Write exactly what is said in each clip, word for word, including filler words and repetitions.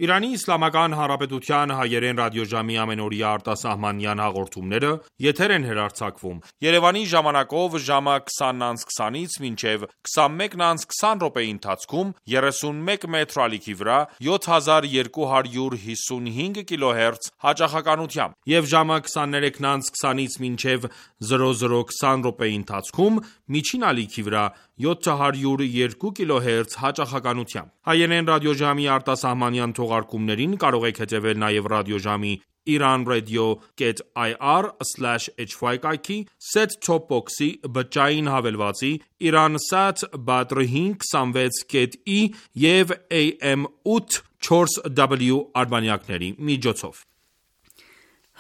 Իրանի Իսլամական Հանրապետության հայերեն ռադիոժամի ամենօրյա արտասահմանյան հաղորդումները եթեր են հեռարձակվում Երևանի ժամանակով ժամը քսանից քսանից մինչև քսանմեկն անց քսան րոպեի ընթացքում երեսունմեկ մետր ալիքի վրա յոթ հազար երկու հարյուր հիսունհինգ կիլոհերց հաճախականությամբ եւ ժամը քսաներեքն անց քսանից մինչև զրո զրո քսան րոպեի ընթացքում միջին ալիքի վրա յոթ հարյուր երկու կիլոհերց հաճախականությամբ։ Հայերեն ռադիոժամի արտասահմանյան թողարկումներին կարող եք հետևել նաև ռադիոժամի iranradio.ir slash hy կայքի, set-top box-ի, բջջային հավելվածի, Iransat Badr հինգ հիսունվեց կետ ի և A M ութ չորս W արբանյակների միջոցով։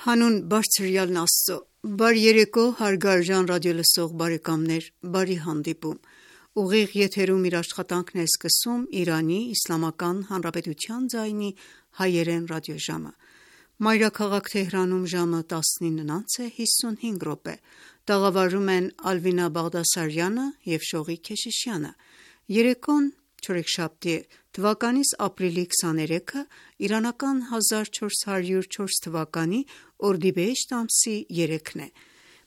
Հանուն բարձրյալն Աստծո, բարի երեկո հարգարժան ռադիոլսող բարեկամներ, բարի հանդիպում։ Ուղիղ եթերում իր աշխատանքն է սկսում Իրանի Իսլամական Հանրապետության ձայնի հայերեն ռադիոժամը։ Մայրաքաղաք Թեհրանում ժամը տասնինն անց է հիսունհինգ րոպե։ Տաղավարում են Ալվինա Բաղդասարյանը և Շողիկ Քեշիշյանը։ Երեկոն չորեքշաբթի է, թվականիս ապրիլի քսաներեքը, իրանական հազար չորս հարյուր չորս թվականի օրդիբեհեշտ ամսի երեքն է։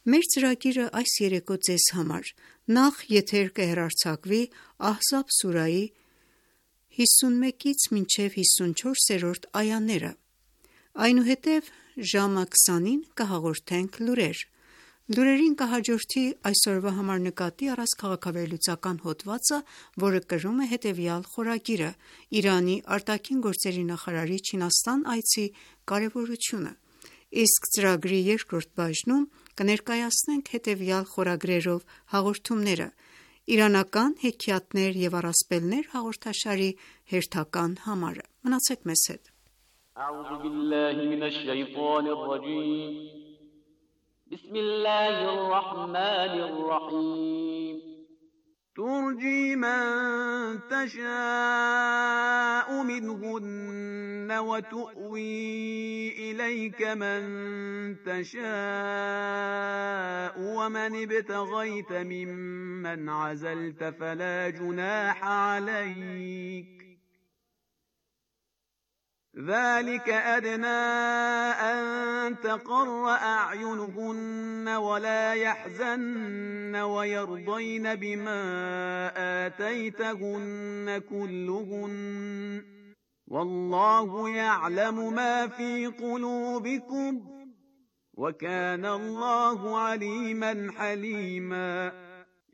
Մեր ծրագիրը այս երեկո ձեզ համար նախ եթեր կհեռարձակվի Ահզաբ սուրայի հիսունմեկից մինչև հիսունչորսերորդ այաները, այնուհետև ժամը քսանին կհաղորդենք լուրեր։ Լուրերին կհաջորդի այսօրվա համար նկատի առած քաղաքավարլուծական հոդվածը, որը կրում է հետևյալ խորագիրը՝ Իրանի արտաքին գործերի նախարարի Չինաստան այցի կարևորությունը։ Իսկ ծրագրի երկրորդ բաժնում կներկայացնենք հետևյալ խորագրերով հաղորդումները՝ իրանական հեքիաթներ և առասպելներ հաղորդաշարի հերթական համարը։ Մնացեք մեզ հետ։ ترجي من تشاء منهن وتؤوي إليك من تشاء ومن ابتغيت ممن عزلت فلا جناح عليك ذلك أدنى أن تقر أعينهن ولا يحزن ويرضين بما آتيتهن كلهن والله يعلم ما في قلوبكم وكان الله عليما حليما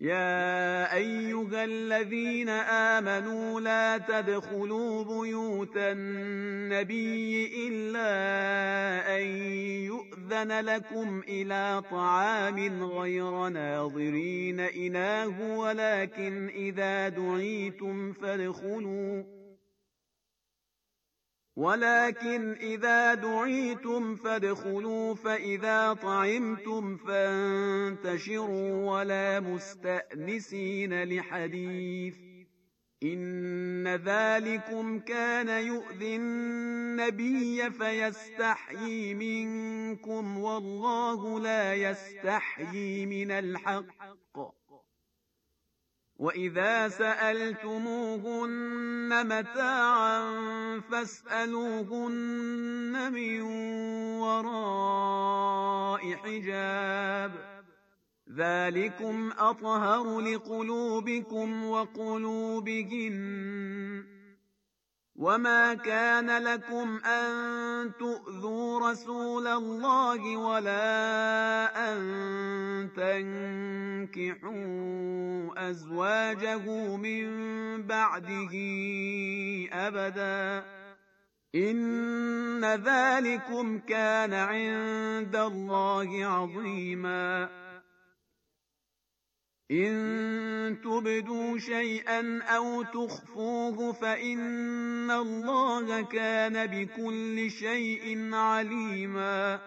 يا أيها الذين آمنوا لا تدخلوا بيوت النبي إلا أن يؤذن لكم إلى طعام غير ناظرين إناه ولكن إذا دعيتم فادخلوا ولكن إذا دعيتم فادخلوا فإذا طعمتم فانتشروا ولا مستأنسين لحديث إن ذلكم كان يؤذي النبي فيستحيي منكم والله لا يستحيي من الحق وإذا سألتموهن متاعا فاسألوهن من وراء حجاب ذلكم أطهر لقلوبكم وقلوبهن وما كان لكم أن تؤذوا رسول الله ولا أن تنكحوا أزواجه من بعده أبدا إن ذلكم كان عند الله عظيما إن تبدوا شيئا أو تخفوه فإن الله كان بكل شيء عليما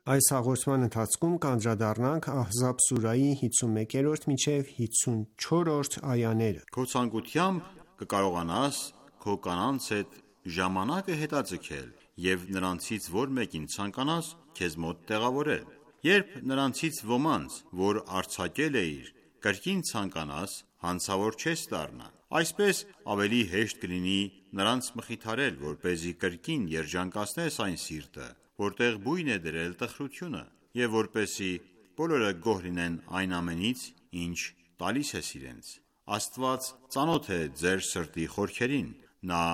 Այս հաղորդման ընթացքում կանդրադառնանք Ահզաբ սուրայի հիսունմեկերորդ մինչև հիսունչորրորդ այաները։ Քո ցանկությամբ կկարողանաս քո կանանց հետ ժամանակը հետաձգել և նրանցից որ մեկին ցանկանաս քեզ մոտ տեղավորել։ Երբ նրանցից ոմանց, որ արձակել էիր, կրկին ցանկանաս, հանցավոր չես դառնա։ Այսպես ավելի հեշտ կլինի նրանց մխիթարել, որպեսզի կրկին երջանկացնես այն սիրտը, որտեղ բույն է դրել տխրությունը, և որպեսզի բոլորը գոհ լինեն այն ամենից, ինչ տալիս ես իրենց։ Աստված ծանոթ է ձեր սրտի խորքերին, նա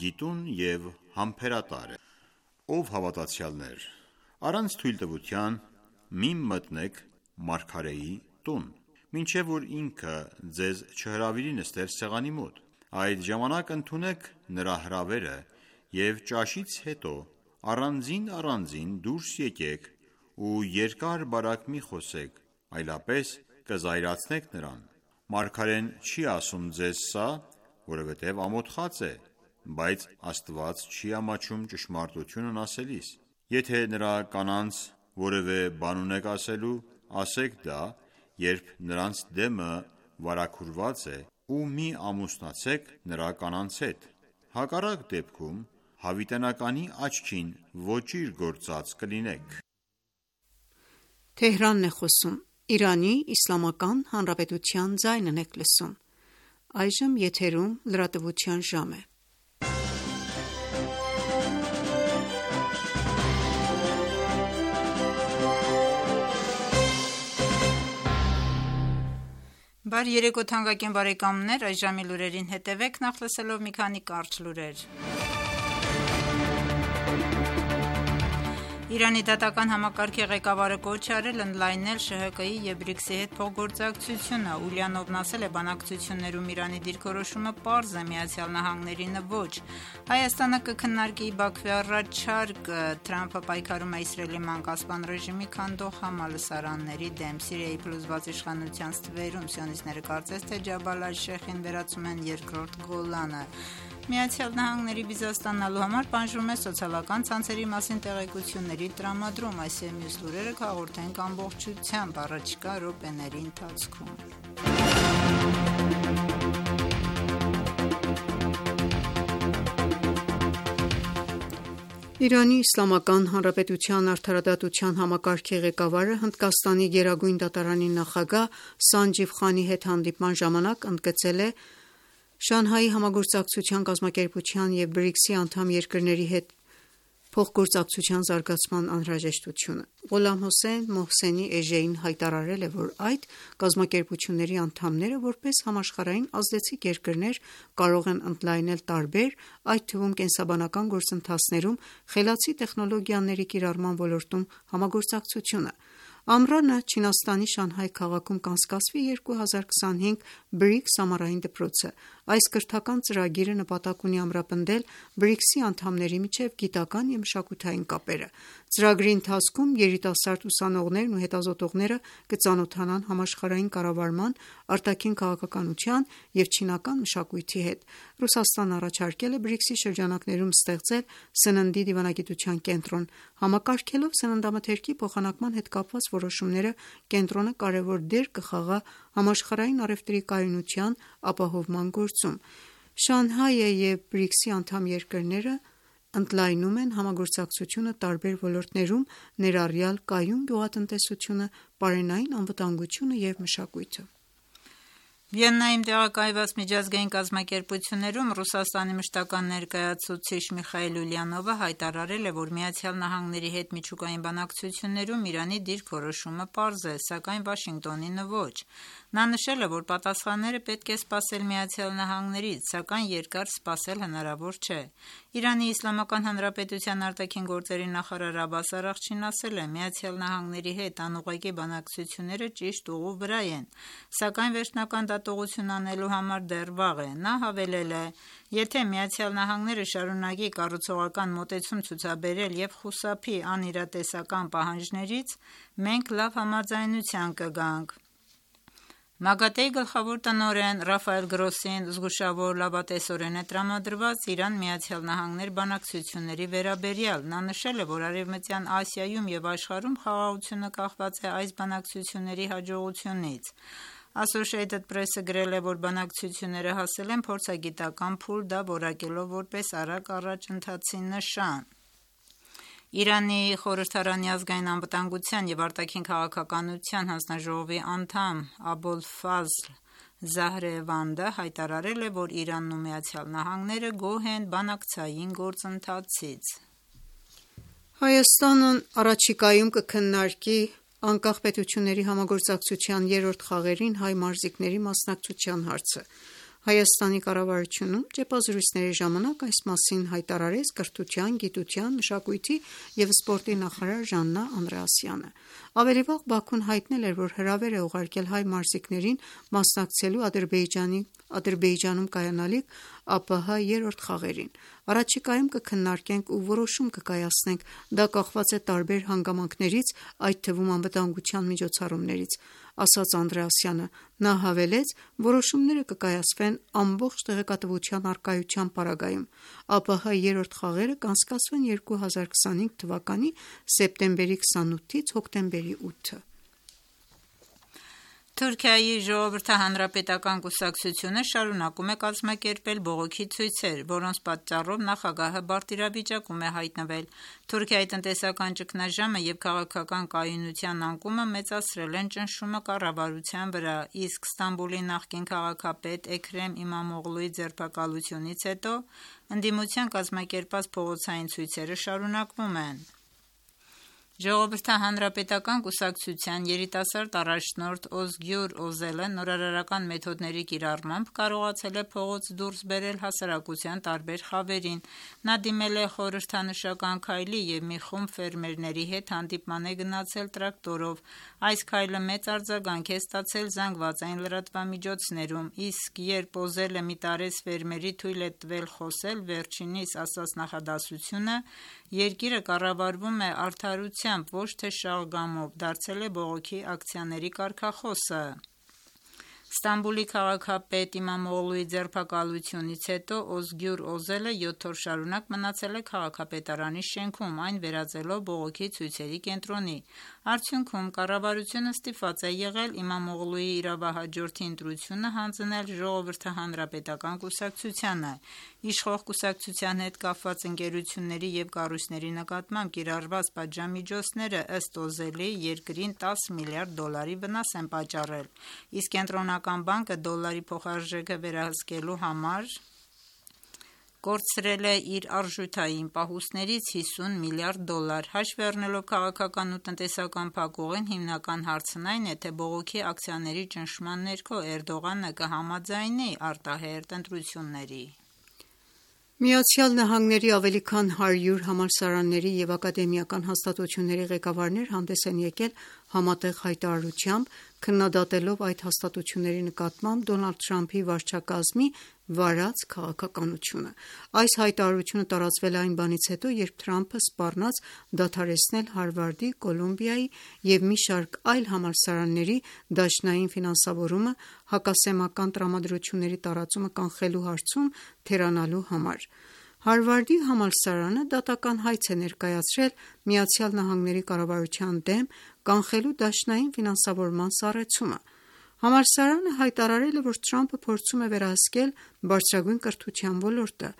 գիտուն և համբերատար է։ Ով հավատացյալներ, առանց թույլտվության մի մտնեք մարգարեի տուն, մինչև որ ինքը ձեզ չհրավիրի նստել սեղանի մոտ։ Այդ ժամանակ ընդունեք նրա հրավերը և ճաշից հետո առանձին-առանձին դուրս եկեք ու երկար-բարակ մի խոսեք, այլապես կզայրացնեք նրան։ Մարգարեն չի ասում ձեզ սա, որովհետև ամոթխած է, բայց Աստված չի ամաչում ճշմարտությունն ասելիս։ Եթե նրա կանանց որևէ բան ունեք ասելու, ասեք դա, երբ նրանց դեմը վարագուրված է, ու մի ամուսնացեք նրա կանանց հետ։ Հակառակ դեպքում հավիտենականի աչքին ոճիր գործած կլինեք։ Բարի երեկո թանկագին բարեկամներ, այս ժամի լուրերին հետևեք նախ լսելով մի քանի կարճ լուրեր։ Իրանի դատական համակարգի ղեկավարը կոչ է արել ընդլայնել ՇՀԿ-ի և ԲՐԻԿՍ-ի հետ փոխգործակցությունը։ Ուլյանովն ասել է, բանակցություններում Իրանի դիրքորոշումը պարզ է, ԱՄՆ-ին ոչ։ Հայաստանը կքննարկի Բաքվի առաջարկը, Թրամփը պայքարում է Իսրայելի մանկասպան ռեժիմի քանդող համալսարանների դեմ։ Սիրիայի փլուզված իշխանության ստվերում սիոնիստները կարծես թե Ջաբալ ալ-Շեխին վերածում են երկրորդ Գոլանը։ ԱՄՆ-ի վիզա ստանալու համար պահանջվում է սոցիալական ցանցերի մասին տեղեկությունների տրամադրում։ Այս և մյուս լուրերը կհաղորդենք ամբողջությամբ առաջիկա րոպեների ընթացքում։ Իրանի Իսլամական Հանրապետության արդարադատության համակարգի ղեկավարը Հնդկաստանի գերագույն դատարանի նախագահ Սանջիվ Խանի հետ հանդիպման ժամանակ ընդգծել է Շանհայի համագործակցության կազմակերպության և ԲՐԻԿՍ-ի անդամ երկրների հետ փոխգործակցության զարգացման անհրաժեշտությունը։ Ղոլամ Հոսեյն Մոհսենի Էժեին հայտարարել է, որ այդ կազմակերպությունների անդամները, որպես համաշխարհային ազդեցիկ երկրներ, կարող են ընդլայնել տարբեր, այդ թվում կենսաբանական գործընթացներում խելացի տեխնոլոգիաների կիրառման ոլորտում համագործակցությունը։ Ամռանը Չինաստանի Շանհայ քաղաքում կանցկացվի երկու հազար քսանհինգ ԲՐԻԿՍ ամառային դպրոցը։ Այս կրթական ծրագիրը նպատակ ունի ամրապնդել ԲՐԻԿՍ-ի անդամների միջև գիտական և մշակութային կապերը։ Ծրագրի ընթացքում երիտասարդ ուսանողներն ու հետազոտողները կծանոթանան համաշխարհային կառավարման, արտաքին քաղաքականության և չինական մշակույթի հետ։ Ռուսաստանն առաջարկել է ԲՐԻԿՍ-ի շրջանակներում ստեղծել սննդի դիվանագիտության կենտրոն։ Համակարգելով սննդամթերքի փոխանակման հետ կապված որոշումները, կենտրոնը կարևոր դեր կխաղա համաշխարհային առևտրի կայունության ապահովման գործում։ Շանհայը և ԲՐԻԿՍ-ի անդամ երկրները ընդլայնում են համագործակցությունը տարբեր ոլորտներում, ներառյալ կայուն գյուղատնտեսությունը, պարենային անվտանգությունը և մշակույթը։ Վիեննայում տեղակայված միջազգային կազմակերպություններում Ռուսաստանի մշտական ներկայացուցիչ Միխայիլ Ուլյանովը հայտարարել է, որ ԱՄՆ-ի հետ միջուկային բանակցություններում Իրանի դիրքորոշումը պարզ է, սակայն Վաշինգտոնին ոչ։ Նա նշել է, որ պատասխանները պետք է սպասել ԱՄՆ-ից, սակայն երկար սպասել հնարավոր չէ։ Իրանի Իսլամական Հանրապետության արտաքին գործերի նախարար Աբբաս Արաղչին ասել է. «ԱՄՆ-ի հետ անուղղակի բանակցությունները ճիշտ ուղու վրա են, սակայն վերջնական դատողություն անելու համար դեռ վաղ է»։ Նա հավելել է. «Եթե ԱՄՆ-ը շարունակի կառուցողական մոտեցում ցուցաբերել և խուսափի անիրատեսական պահանջներից, մենք լավ համաձայնության կգանք»։ ՄԱԳԱՏԷ-ի գլխավոր տնօրեն Ռաֆայել Գրոսին զգուշավոր լավատեսորեն է տրամադրված Իրան-ԱՄՆ բանակցությունների վերաբերյալ։ Նա նշել է, որ Արևմտյան Ասիայում և աշխարհում խաղաղությունը կախված է այս բանակցությունների հաջողությունից։ Associated Press-ը գրել է, որ բանակցությունները հասել են փորձագիտական փուլ, դա որակելով որպես արագ առաջընթացի նշան։ Իրանի խորհրդարանի ազգային անվտանգության և արտաքին քաղաքականության հանձնաժողովի անդամ Աբոլֆազլ Զահրևանդը հայտարարել է, որ Իրանն ու Միացյալ Նահանգները գոհ են բանակցային գործընթացից։ Հայաստանն առաջիկայում կքննարկի անկախ պետությունների համագործակցության երրորդ խաղերին հայ մարզիկների մասնակցության հարցը։ Հայաստանի կառավարությունում ճեպազրույցների ժամանակ այս մասին հայտարարեց Կրթության, գիտության, մշակույթի և սպորտի նախարար Ժաննա Անդրեասյանը։ Ավելի վաղ Բաքուն հայտնել էր, որ հրավեր է ուղարկել հայ մարզիկներին մասնակցելու Ադրբեջանի Ադրբեջանում կայանալիք ԱՊՀ երրորդ խաղերին։ Առաջիկայում կքննարկենք ու որոշում կկայացնենք, դա կախված է տարբեր հանգամանքներից, այդ թվում անվտանգության միջոցառումներից, ասաց Անդրեասյանը։ Նա հավելեց, որոշումները կկայացվեն ամբողջ տեղեկատվության առկայության պարագայում։ ԱՊՀ երրորդ խաղերը կանցկացվեն երկու հազար քսանհինգ թվականի սեպտեմբերի քսանութից հոկտեմբերի ութը։ Թուրքիայի ժողովրդահանրապետական կուսակցությունը շարունակում է կազմակերպել բողոքի ցույցեր, որոնց պատճառով նախագահը բարդ իրավիճակում է հայտնվել։ Թուրքիայի տնտեսական ճգնաժամը և քաղաքական կայունության անկումը մեծացրել են ճնշումը կառավարության վրա, իսկ Ստամբուլի նախկին քաղաքապետ Էքրեմ Իմամօղլուի ձերբակալությունից հետո ընդդիմության կազմակերպած փողոցային ցույցերը շարունակվում են։ Ժողովրդահանրապետական կուսակցության երիտասարդ առաջնորդ Օզգյուր Օզելը նորարարական մեթոդների կիրառմամբ կարողացել է փողոց դուրս բերել հասարակության տարբեր խավերին։ Նա դիմել է խորհրդանշական քայլի և մի խումբ ֆերմերների հետ հանդիպման է գնացել տրակտորով։ Այս քայլը մեծ արձագանք է ստացել զանգվածային լրատվամիջոցներում, իսկ երբ Օզելը մի տարեց ֆերմերի թույլ է տվել խոսել, վերջինիս ասած նախադասությունը «Երկիրը կառավարվում է արդարությամբ, ոչ թե շաղգամով» դարձել է բողոքի ակցիաների կարգախոսը։ Ստամբուլի քաղաքապետ Իմամօղլուի ձերբակալությունից հետո Օզգյուր Օզելը յոթ օր շարունակ մնացել է քաղաքապետարանի շենքում, այն վերածելով բողոքի ցույցերի կենտրոնի։ Արդյունքում կառավարությունը ստիպված է եղել Իմամօղլուի իրավահաջորդի ընտրությունը հանձնել ժողովրդահանրապետական կուսակցությանը։ Իշխող կուսակցության հետ կապված ընկերությունների և կառույցների նկատմամբ կիրառված պատժամիջոցները ըստ Օզելի երկրին տասը միլիարդ դոլարի վնաս են պատճառել, իսկ Կենտրոնական բանկը դոլարի փոխարժեքը վերահսկելու համար կորցրել է իր արժութային պահուստներից հիսուն միլիարդ դոլար։ Հաշվի առնելով քաղաքական ու տնտեսական փակուղին, հիմնական հարցն այն է, թե բողոքի ակցիաների ճնշման ներքո Էրդողանը կհամաձայնի արտահերթ ընտրությունների։ Միացյալ Նահանգների ավելի քան հարյուր համալսարանների և ակադեմիական հաստատությունների ղեկավարներ հանդես են եկել համատեղ հայտարարությամբ՝ քննադատելով այդ հաստատությունների նկատմամբ Դոնալդ Թրամփի վարչակազմի վարած քաղաքականությունը։ Այս հայտարարությունը տարածվել է այն բանից հետո, երբ Թրամփը սպառնաց դադարեցնել Հարվարդի, Կոլումբիայի և մի շարք այլ համալսարանների դաշնային ֆինանսավորումը հակասեմական տրամադրությունների տարածումը կանխելու հարցում թերանալու համար։ Հարվարդի համալսարանը դատական հայց է ներկայացրել Միացյալ Նահանգների կառավարության դեմ՝ կանխելու դաշնային ֆինանսավորման սառեցումը։ Համալսարանը հայտարարել է, որ Թրամփը փորձում է վերահսկել բարձրագույն կրթության ոլորտը։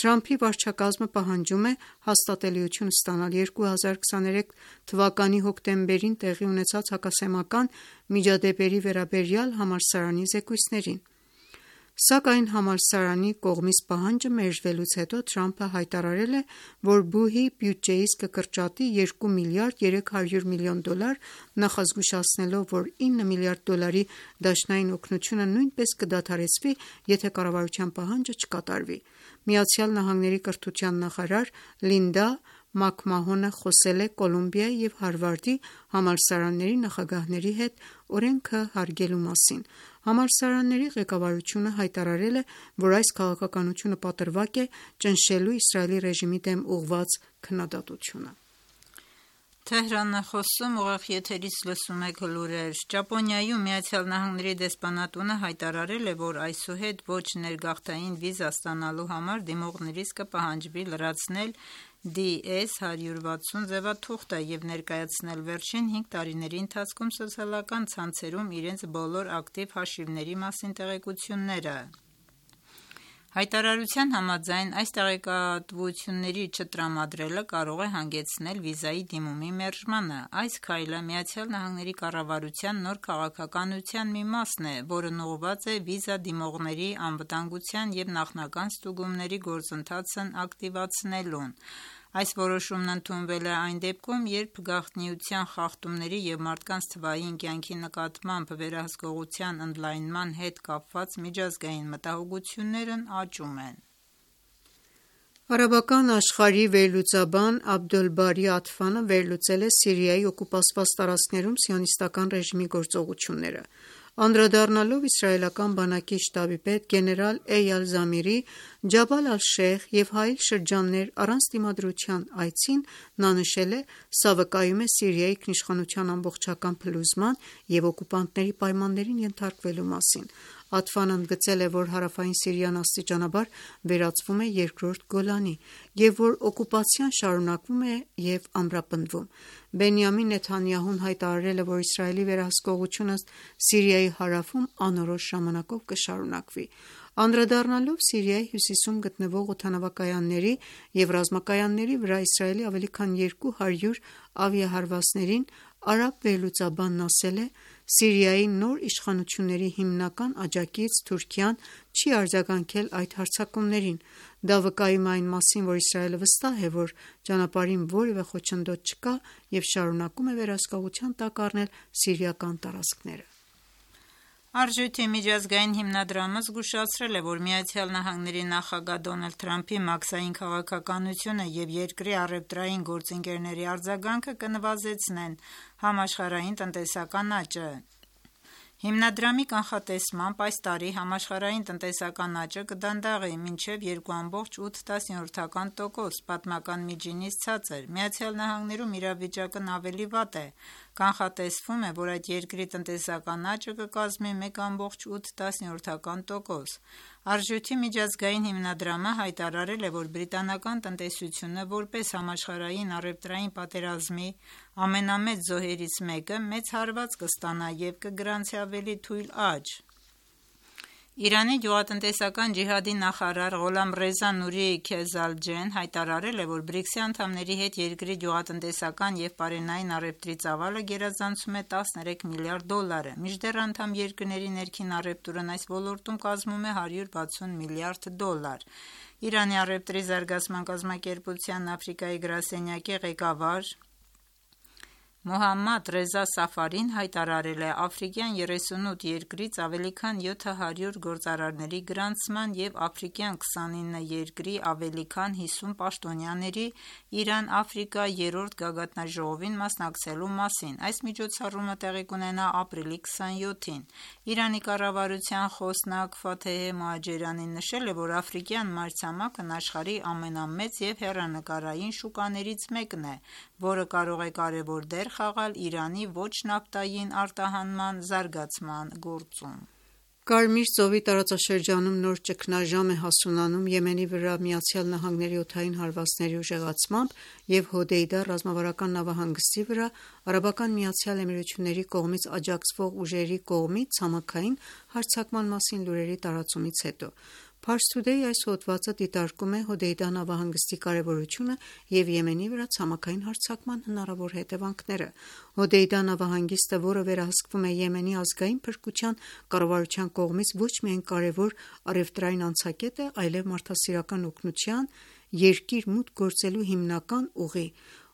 Թրամփի վարչակազմը պահանջում է հաստատելիություն ստանալ երկու հազար քսաներեք թվականի հոկտեմբերին տեղի ունեցած հակասեմական միջադեպերի վերաբերյալ համալսարանի զեկույցներին։ Սակայն համալսարանի կողմից պահանջը մերժվելուց հետո Թրամփը հայտարարել է, որ բուհի բյուջեից կկրճատի երկու միլիարդ երեք հարյուր միլիոն դոլար, նախազգուշացնելով, որ ինը միլիարդ դոլարի դաշնային օգնությունը նույնպես կդադարեցվի, եթե կառավարության պահանջը չկատարվի։ Միացյալ Նահանգների կրթության նախարար Լինդա Մաքմահոնը խոսել է Կոլումբիայի և Հարվարդի համալսարանների նախագահների հետ օրենքը հարգելու մասին։ Համալսարանների ղեկավարությունը հայտարարել է, որ այս քաղաքականությունը պատրվակ է ճնշելու Իսրայելի ռեժիմի դեմ ուղղված քննադատությունը։ Թեհրանը խոսում ուղիղ եթերից լսում եք լուրեր։ Ճապոնիայում Միացյալ Նահանգների դեսպանատունը հայտարարել է, որ այսուհետ ոչ ներգաղթային վիզա ստանալու համար դիմողներից կպահանջվի լրացնել դի էս հարյուր վաթսուն ձևաթուղթը և ներկայացնել վերջին հինգ տարիների ընթացքում սոցիալական ցանցերում իրենց բոլոր ակտիվ հաշիվների մասին տեղեկությունները։ Հայտարարության համաձայն այս տեղեկատվությունների չտրամադրելը կարող է հանգեցնել վիզայի դիմումի մերժմանը։ Այս քայլը Միացյալ Նահանգների կառավարության նոր քաղաքականության մի մասն է, որն ուղղված է վիզա դիմողների անվտանգության և նախնական ստուգումների գործընթացն ակտիվացնելուն։ Այս որոշումն ընդունվել է այն դեպքում, երբ գաղտնիության խախտումների և մարդկանց թվային կյանքի նկատմամբ վերահսկողության ընդլայնման հետ կապված միջազգային մտահոգություններն աճում են։ Արաբական աշխարհի վերլուծաբան Աբդոլբարի Աթֆանը վերլուծել է Սիրիայի օկուպացված տարածքներում սիոնիստական ռեժիմի գործողությունները։ Անդրադառնալով իսրայելական բանակի շտաբի պետ գեներալ Էյալ Զամիրի Ջաբալ ալ-Շեյխ և Հայիլ շրջաններ առանց դիմադրության այցին, նա նշել է. «Սա վկայում է Սիրիայի ինքնիշխանության ամբողջական փլուզման և օկուպանտների պայմաններին ենթարկվելու մասին»։ Աթֆան ընդգծել է, որ հարավային Սիրիան աստիճանաբար վերածվում է երկրորդ Գոլանի, և որ օկուպացիան շարունակվում է և ամրապնդվում։ Բենյամին Նեթանյահուն հայտարարել է, որ Իսրայելի վերահսկողությունը Սիրիայի հարավում անորոշ ժամանակով կշարունակվի։ Անդրադառնալով Սիրիայի հյուսիսում գտնվող օդանավակայանների և ռազմակայանների վրա Իսրայելի ավելի քան երկու հարյուր ավիահարվածներին, արաբ վերլուծաբանն ասել է. «Սիրիայի նոր իշխանությունների հիմնական աջակից Թուրքիան չի արձագանքել այդ հարձակումներին։ Դա վկայում է այն մասին, որ Իսրայելը վստահ է, որ ճանապարհին որևէ խոչընդոտ չկա և շարունակում է վերահսկողության տակ առնել սիրիական տարածքները»։ Արժույթի միջազգային հիմնադրամը զգուշացրել է, որ Միացյալ Նահանգների նախագահ Դոնալդ Թրամփի մաքսային քաղաքականությունը և երկրի առևտրային գործընկերների արձագանքը կնվազեցնեն համաշխարհային տնտեսական աճը։ Հիմնադրամի կանխատեսմամբ այս տարի համաշխարհային տնտեսական աճը կդանդաղի մինչև երկու կόμμα ութ տոկոս, պատմական միջինից ցածր։ Միացյալ Նահանգներում իրավիճակն ավելի վատ է։ Կանխատեսվում է, որ այդ երկրի տնտեսական աճը կկազմի մեկ կόμμα ութ տոկոս։ Արժույթի միջազգային հիմնադրամը հայտարարել է, որ բրիտանական տնտեսությունը որպես համաշխարհային առևտրային պատերազմի ամենամեծ զոհերից մեկը մեծ հարված կստանա և կգրանցի ավելի թույլ աճ։ Իրանի գյուղատնտեսական ջիհադի նախարար Ղոլամռեզա Նուրի Քեզալջեն հայտարարել է, որ բրիքսի անդամների հետ երկրի գյուղատնտեսական և պարենային առևտրի ծավալը գերազանցում է տասներեք միլիարդ դոլարը, մինչդեռ անդամ երկրների ներքին առևտուրն այս ոլորտում կազմում է հարյուր վաթսուն միլիարդ դոլար։ Իրանի առևտրի զարգացման կազմակերպության Աֆրիկայի գրասենյակի ղեկավար Մոհամմադ Ռեզա Սաֆարին հայտարարել է աֆրիկյան երեսունութ երկրից ավելի քան յոթ հարյուր գործարարների գրանցման և աֆրիկյան քսանինը երկրի ավելի քան հիսուն պաշտոնյաների Իրան-Աֆրիկա երրորդ գագաթնաժողովին մասնակցելու մասին։ Այս միջոցառումը տեղի կունենա ապրիլի քսանյոթին։ Իրանի կառավարության խոսնակ Ֆաթեհե Մոհաջերյանին նշել է, որ աֆրիկյան մայրցամաքն աշխարհի ամենամեծ և հեռանկարային շուկաներից մեկն է, որը կարող է կարևոր դեր խաղալ Իրանի ոչ նավթային արտահանման զարգացման գործում։ Կարմիր ծովի տարածաշրջանում նոր ճգնաժամ է հասունանում Եմենի վրա Միացյալ Նահանգների օդային հարվածների ուժեղացմամբ և Հոդեյդա ռազմավարական նավահանգստի վրա Արաբական Միացյալ Էմիրությունների կողմից աջակցվող ուժերի կողմից ցամաքային հարձակման մասին լուրերի տարածումից հետո։ Pars Today այս հոդվածը դիտարկում է Հոդեյդա նավահանգստի կարևորությունը և Եմենի վրա ցամաքային հարձակման հնարավոր հետևանքները։ Հոդեյդա նավահանգիստը, որը վերահսկվում է Եմենի ազգային փրկության կառավարության կողմից, ոչ միայն կարևոր առևտրային անցակետ է, այլև մարդասիրական օգնության երկիր մուտք գործելու հիմնական ուղի։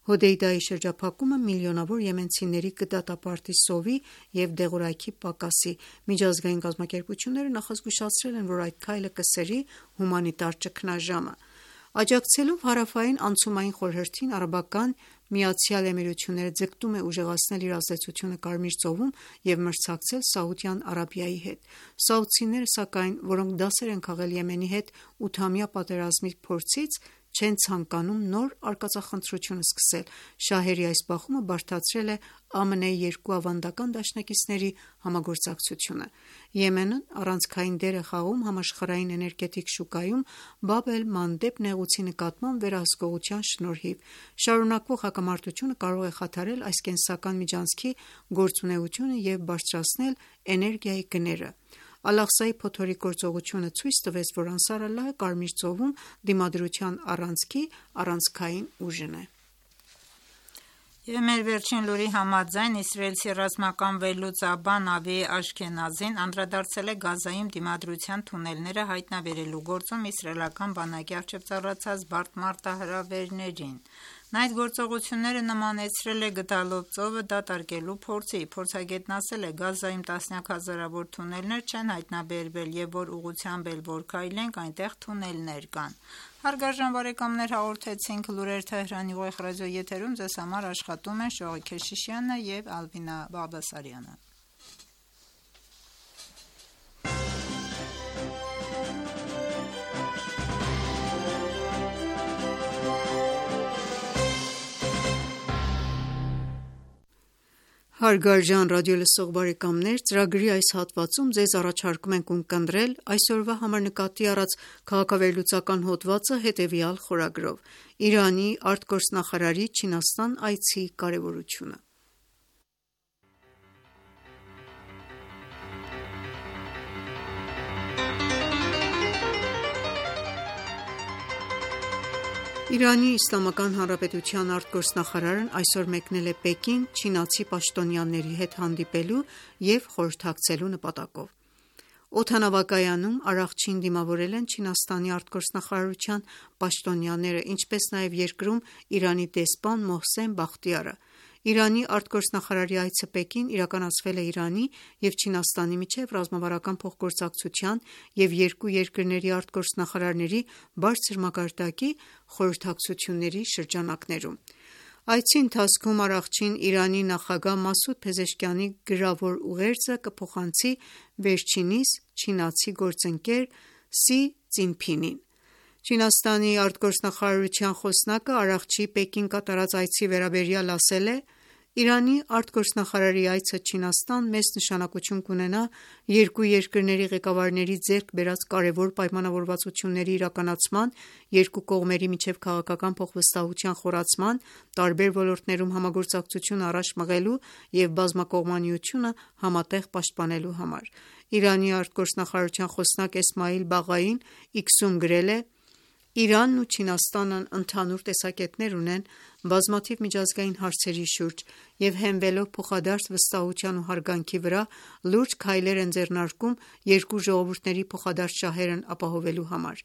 Հոդեյդայի շրջափակումը միլիոնավոր եմենցիների կդատապարտի սովի և դեղորայքի պակասի։ Միջազգային կազմակերպությունները նախազգուշացրել են, որ այդ քայլը կսերի հումանիտար ճգնաժամը։ Աջակցելով Հարավային անցումային խորհրդին, Արաբական Միացյալ Էմիրությունները ձգտում է ուժեղացնել իր ազդեցությունը Կարմիր ծովում և մրցակցել Սաուդյան Արաբիայի հետ։ Սաուդցիները, սակայն, որոնք դասեր են քաղել Եմենի հետ ութամյա պատերազմի փորձից, չեն ցանկանում նոր արկածախնդրություն սկսել։ Շահերի այս բախումը բարդացրել է ԱՄՆ-ի երկու ավանդական դաշնակիցների համագործակցությունը։ Եմենն առանցքային դեր է խաղում համաշխարհային էներգետիկ շուկայում Բաբ էլ-Մանդեբ նեղուցի նկատմամբ վերահսկողության շնորհիվ։ Շարունակվող հակամարտությունը կարող է խաթարել այս կենսական միջանցքի գործունեությունը և բարձրացնել էներգիայի գները։ Ալ-Աղսայի փոթորիկ գործողությունը ցույց տվեց, որ Անսար Ալլահը Կարմիր ծովում դիմադրության առանցքի առանցքային ուժն է։ Եվ մեր վերջին լուրի համաձայն իսրայելցի ռազմական վերլուծաբան Նավի Աշքենազին անդրադարձել է Գազայում դիմադրության թունելները հայտնաբերելու գործում իսրայելական բանակի առջև ծառացած բարդ մարտահրավերներին։ Նա այդ գործողությունները նմանեցրել է գդալով ծովը դատարկելու փորձի։ Փորձագետն ասել է, Գազայում տասնյակ հազարավոր թունելներ չեն հայտնաբերվել և որ ուղղությամբ էլ որ քայլենք, այնտեղ թունելներ կան։ Հարգարժան բարեկամներ, հաղորդեցինք լուրեր Թեհրանի ուղիղ ռադիոյի եթերում, ձեզ համար աշխատում են Շողիկ Քեշիշյանը և Ալվինա Բաղդասարյանը։ Հարգարժան ռադիոլսող բարեկամներ, ծրագրի այս հատվածում ձեզ առաջարկում ենք ունկնդրել այսօրվա համար նկատի առած քաղաքավերլուծական հոդվածը հետևյալ խորագրով՝ Իրանի արտգործնախարարի Չինաստան այցի կարևորությունը։ Իրանի Իսլամական Հանրապետության արտգործնախարարն այսօր մեկնել է Պեկին չինացի պաշտոնյաների հետ հանդիպելու և խորհրդակցելու նպատակով։ Օդանավակայանում Արաղչին դիմավորել են Չինաստանի արտգործնախարարության պաշտոնյաները, ինչպես նաև երկրում Իրանի դեսպան Մոհսեն Բախտիարը։ Իրանի արտգործնախարարի այցը Պեկին իրականացվել է Իրանի և Չինաստանի միջև ռազմավարական փոխգործակցության և երկու երկրների արտգործնախարարների բարձր մակարդակի խորհրդակցությունների շրջանակներում։ Այցի ընթացքում Արաղչին Իրանի նախագահ Մասուդ Փեզեշքիանի գրավոր ուղերձը կփոխանցի վերջինիս չինացի գործընկեր Սի Ծինփինին։ Չինաստանի արտգործնախարարության խոսնակը Արաղչիի Պեկին կատարած այցի վերաբերյալ ասել է. «Իրանի արտգործնախարարի այցը Չինաստան մեծ նշանակություն կունենա երկու երկրների ղեկավարների ձեռք բերած կարևոր պայմանավորվածությունների իրականացման, երկու կողմերի միջև քաղաքական փոխվստահության խորացման, տարբեր ոլորտներում համագործակցություն առաջ մղելու և բազմակողմանիությունը համատեղ պաշտպանելու համար»։ Իրանի արտգործնախարարության խոսնակ Էսմայիլ Բաղային Իքսում գրել է. «Իրանն ու Չինաստանն ընդհանուր տեսակետներ ունեն բազմաթիվ միջազգային հարցերի շուրջ և հենվելով փոխադարձ վստահության ու հարգանքի վրա լուրջ քայլեր են ձեռնարկում երկու ժողովուրդների փոխադարձ շահերն ապահովելու համար։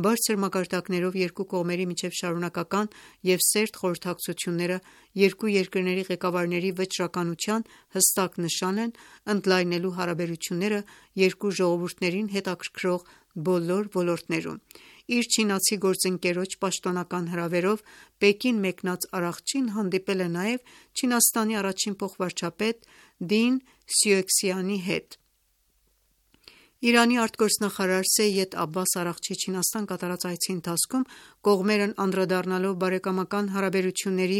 Բարձր մակարդակներով երկու կողմերի միջև շարունակական և սերտ խորհրդակցությունները երկու երկրների ղեկավարների վճռականության հստակ նշան են՝ ընդլայնելու հարաբերությունները երկու ժողովուրդներին հետաքրքրող բոլոր ոլորտներում»։ Իր չինացի գործընկերոջ պաշտոնական հրավերով Պեկին մեկնած Արաղչին հանդիպել է նաև Չինաստանի առաջին փոխվարչապետ Դին Սյուեքսյանի հետ։ Իրանի արտգործնախարար Սեյեդ Աբբաս Արաղչիի Չինաստան կատարած այցի ընթացքում կողմերն անդրադառնալով բարեկամական հարաբերությունների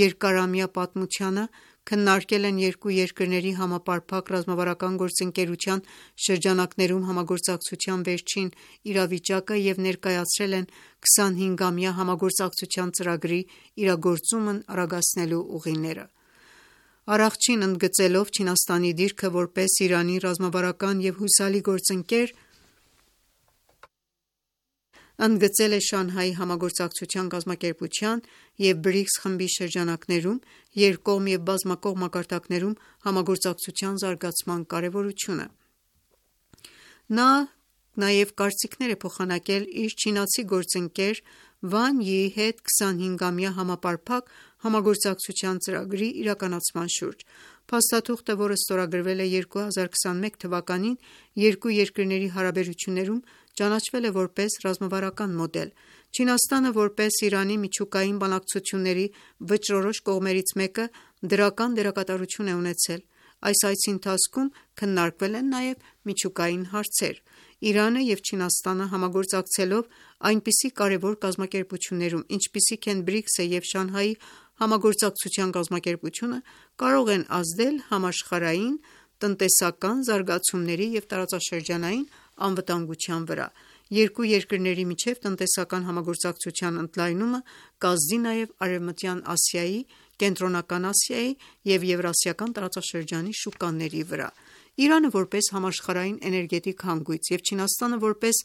երկարամյա պատմությանը, քննարկել են երկու երկրների համապարփակ ռազմավարական գործընկերության շրջանակներում համագործակցության վերջին իրավիճակը և ներկայացրել են քսանհինգամյա համագործակցության ծրագրի իրագործումն արագացնելու ուղիները։ Արաղչին ընդգծելով Չինաստանի դիրքը որպես Իրանի ռազմավարական և հուսալի գործընկեր, ընդգծել է Շանհայի համագործակցության կազմակերպության և բրիքս խմբի շրջանակներում երկկողմ և բազմակողմ մակարդակներում համագործակցության զարգացման կարևորությունը։ Նա նաև կարծիքներ է փոխանակել իր չինացի գործընկեր Վան Յիի հետ քսանհինգամյա համապարփակ համագործակցության ծրագրի իրականացման շուրջ։ Փաստաթուղթը, որը ստորագրվել է երկու հազար քսանմեկ թվականին, երկու երկրների հարաբերություններում ճանաչվել է որպես ռազմավարական մոդել։ Չինաստանը, որպես Իրանի միջուկային բանակցությունների վճռորոշ կողմերից մեկը, դրական դերակատարություն է ունեցել։ Այս այցի ընթացքում քննարկվել են նաև միջուկային հարցեր։ Իրանը և Չինաստանը համագործակցելով այնպիսի կարևոր կազմակերպություններում, ինչպիսիք են բրիքսը և Շանհայի համագործակցության կազմակերպությունը, կարող են ազդել համաշխարհային տնտեսական զարգացումների և տարածաշրջանային անվտանգության վրա։ Երկու երկրների միջև տնտեսական համագործակցության ընդլայնումը կազդի նաև Արևմտյան Ասիայի Կենտրոնական Ասիայի և Եվրասիական տարածաշրջանի շուկաների վրա։ Իրանը որպես համաշխարհային էներգետիկ հանգույց և Չինաստանը որպես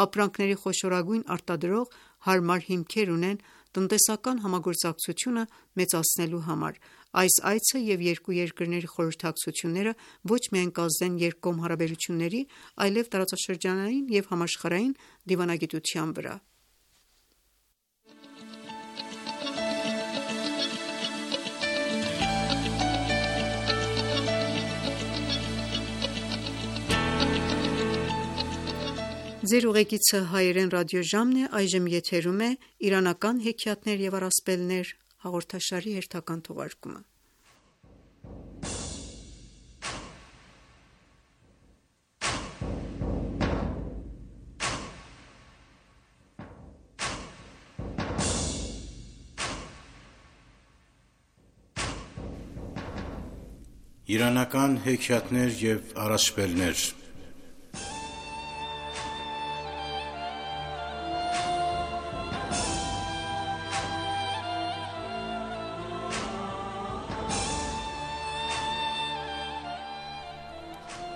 ապրանքների խոշորագույն արտադրող հարմար հիմքեր ունեն տնտեսական համագործակցությունը մեծացնելու համար։ Այս այցը և երկու երկրների խորհրդակցությունները ոչ միայն կազդեն երկկողմ հարաբերությունների, այլև տարածաշրջանային և համաշխարհային դիվանագիտության վրա։ Ձեր ուղեկիցը հայերեն ռադիոժամն է, այժմ եթերում է «Իրանական հեքիաթներ և առասպելներ» հաղորդաշարի հերթական թողարկումը։ Իրանական հեքիաթներ և առասպելներ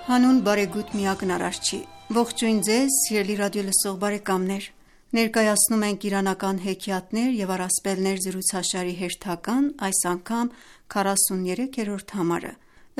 Հանուն բարեգութ միակն Արարչի, ողջույն ձեզ սիրելի ռադիոլսող բարեկամներ: Ներկայացնում ենք «Իրանական հեքիաթներ և առասպելներ» զրուցաշարի հերթական, այս անգամ քառասուներեքերորդ համարը: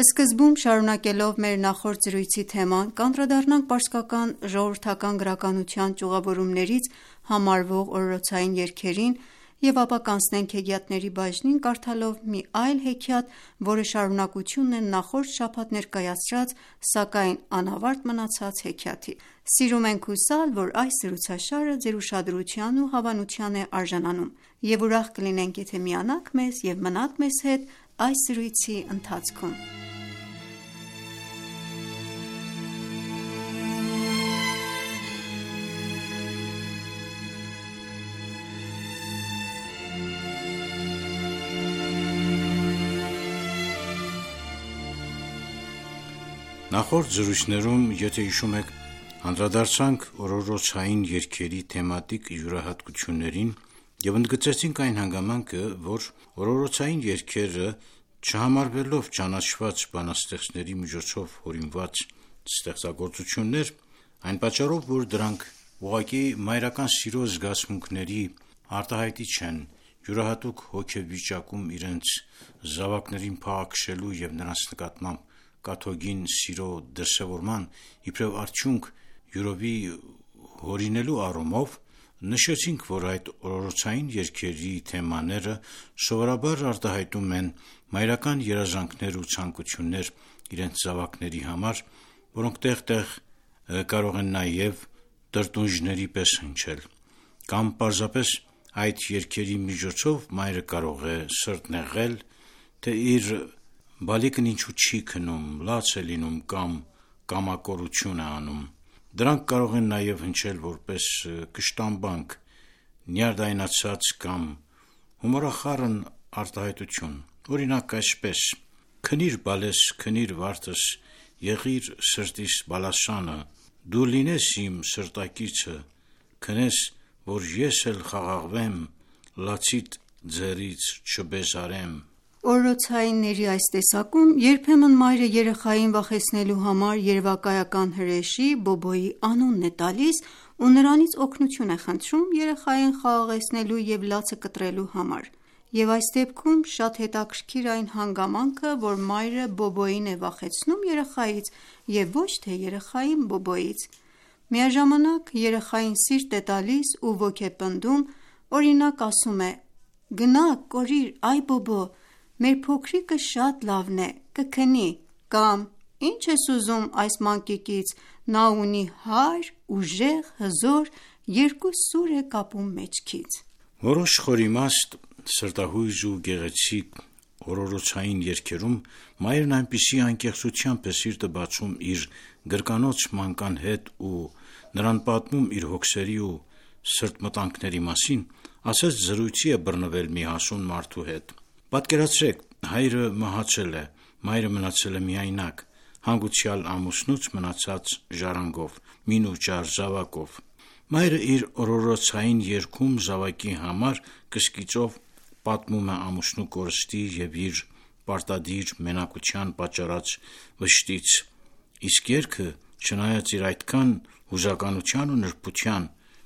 Սկզբում շարունակելով մեր նախորդ զրույցի թեման, կանդրադառնանք պարսկական ժողովրդական գրականության ճյուղավորումներից համարվող օրորոցային երգերին և ապա կանցնենք հեքիաթների բաժնին՝ կարդալով մի այլ հեքիաթ, որը շարունակությունն է նախորդ շաբաթ ներկայացրած, սակայն անավարտ մնացած հեքիաթի: Սիրում ենք հուսալ, որ այս զրուցաշարը ձեր ուշադրության ու հավանության է արժանանում, և ուրախ կլինենք, եթե միանաք մեզ և մնաք մեզ հետ այս զրույցի ընթացքում: Նախորդ զրույցներում, եթե հիշում եք, անդրադարձանք օրորոցային երգերի թեմատիկ յուրահատկություններին և ընդգծեցինք այն հանգամանքը, որ օրորոցային երգերը, չհամարվելով ճանաչված բանաստեղծների միջոցով հորինված ստեղծագործություններ, այն պատճառով, որ դրանք ուղղակի մայրական սիրո զգացմունքների արտահայտիչ են, յուրահատուկ հոգեվիճակում իրենց զավակներին փաղաքշելու և նրանց նկատմամբ կաթողին սիրո դրսևորման իբրև արդյունք յուրովի հորինելու առումով, նշեցինք, որ այդ օրորոցային երգերի թեմաները սովորաբար արտահայտում են մայրական երազանքներ ու ցանկություններ իրենց զավակների համար, որոնք տեղ-տեղ կարող են նաև տրտունջների պես հնչել, կամ պարզապես այդ երգերի միջոցով մայրը կարող է սրտնեղել, թե իր բալիկն ինչու չի քնում, լաց է լինում կամ կամակորություն է անում: Դրանք կարող են նաև հնչել որպես կշտամբանք, նյարդայնացած կամ հումորախառն արտահայտություն: Օրինակ, այսպես. «Քնիր բալես, քնիր վարդս, եղիր սրտիս բալասանը, դու լինես իմ սրտակիցը, քնես, որ ես էլ խաղաղվեմ, լացիդ ձեռից չբեզարեմ»: Օրորոցայինների այս տեսակում երբեմն մայրը երեխային վախեցնելու համար երևակայական հրեշի՝ Բոբոյի անունն է տալիս ու նրանից օգնություն է խնդրում երեխային խաղաղեցնելու և լացը կտրելու համար: Եվ այս դեպքում շատ հետաքրքիր է այն հանգամանքը, որ մայրը Բոբոյին է վախեցնում երեխայից և ոչ թե երեխային Բոբոյից: Միաժամանակ երեխային սիրտ է տալիս ու ոգեպնդում, օրինակ ասում է. «Գնա կորիր, այ Բոբո, մեր փոքրիկը շատ լավն է, կքնի», կամ «Ինչ ես ուզում այս մանկիկից, նա ունի հարյ, ուժեղ, հզոր, երկու սուր է կապում մեջքից»: Որոշ խորիմաստ, սրտահույզ ու գեղեցիկ օրորոցային երգերում մայրն այնպիսի անկեղծությամբ է սիրտը բացում իր գրկանոց մանկան հետ ու նրան պատմում իր հոգսերի ու սրտմտանքների մասին, ասես զրույցի է բռնվել մի հասուն մարդու հետ: Պատկերացրեք, հայրը մահացել է, մայրը մնացել է միայնակ, հանգուցյալ ամուսնուց մնացած ժառանգով, մին ու ճար զավակով: Մայրը իր օրորոցային երգում զավակի համար կսկիծով պատմում է ամուսնու կորստի և իր պարտադիր մենակության պատճառած վշտից, իսկ երգը, չնայած իր այդքան հուզականության ու նրբության,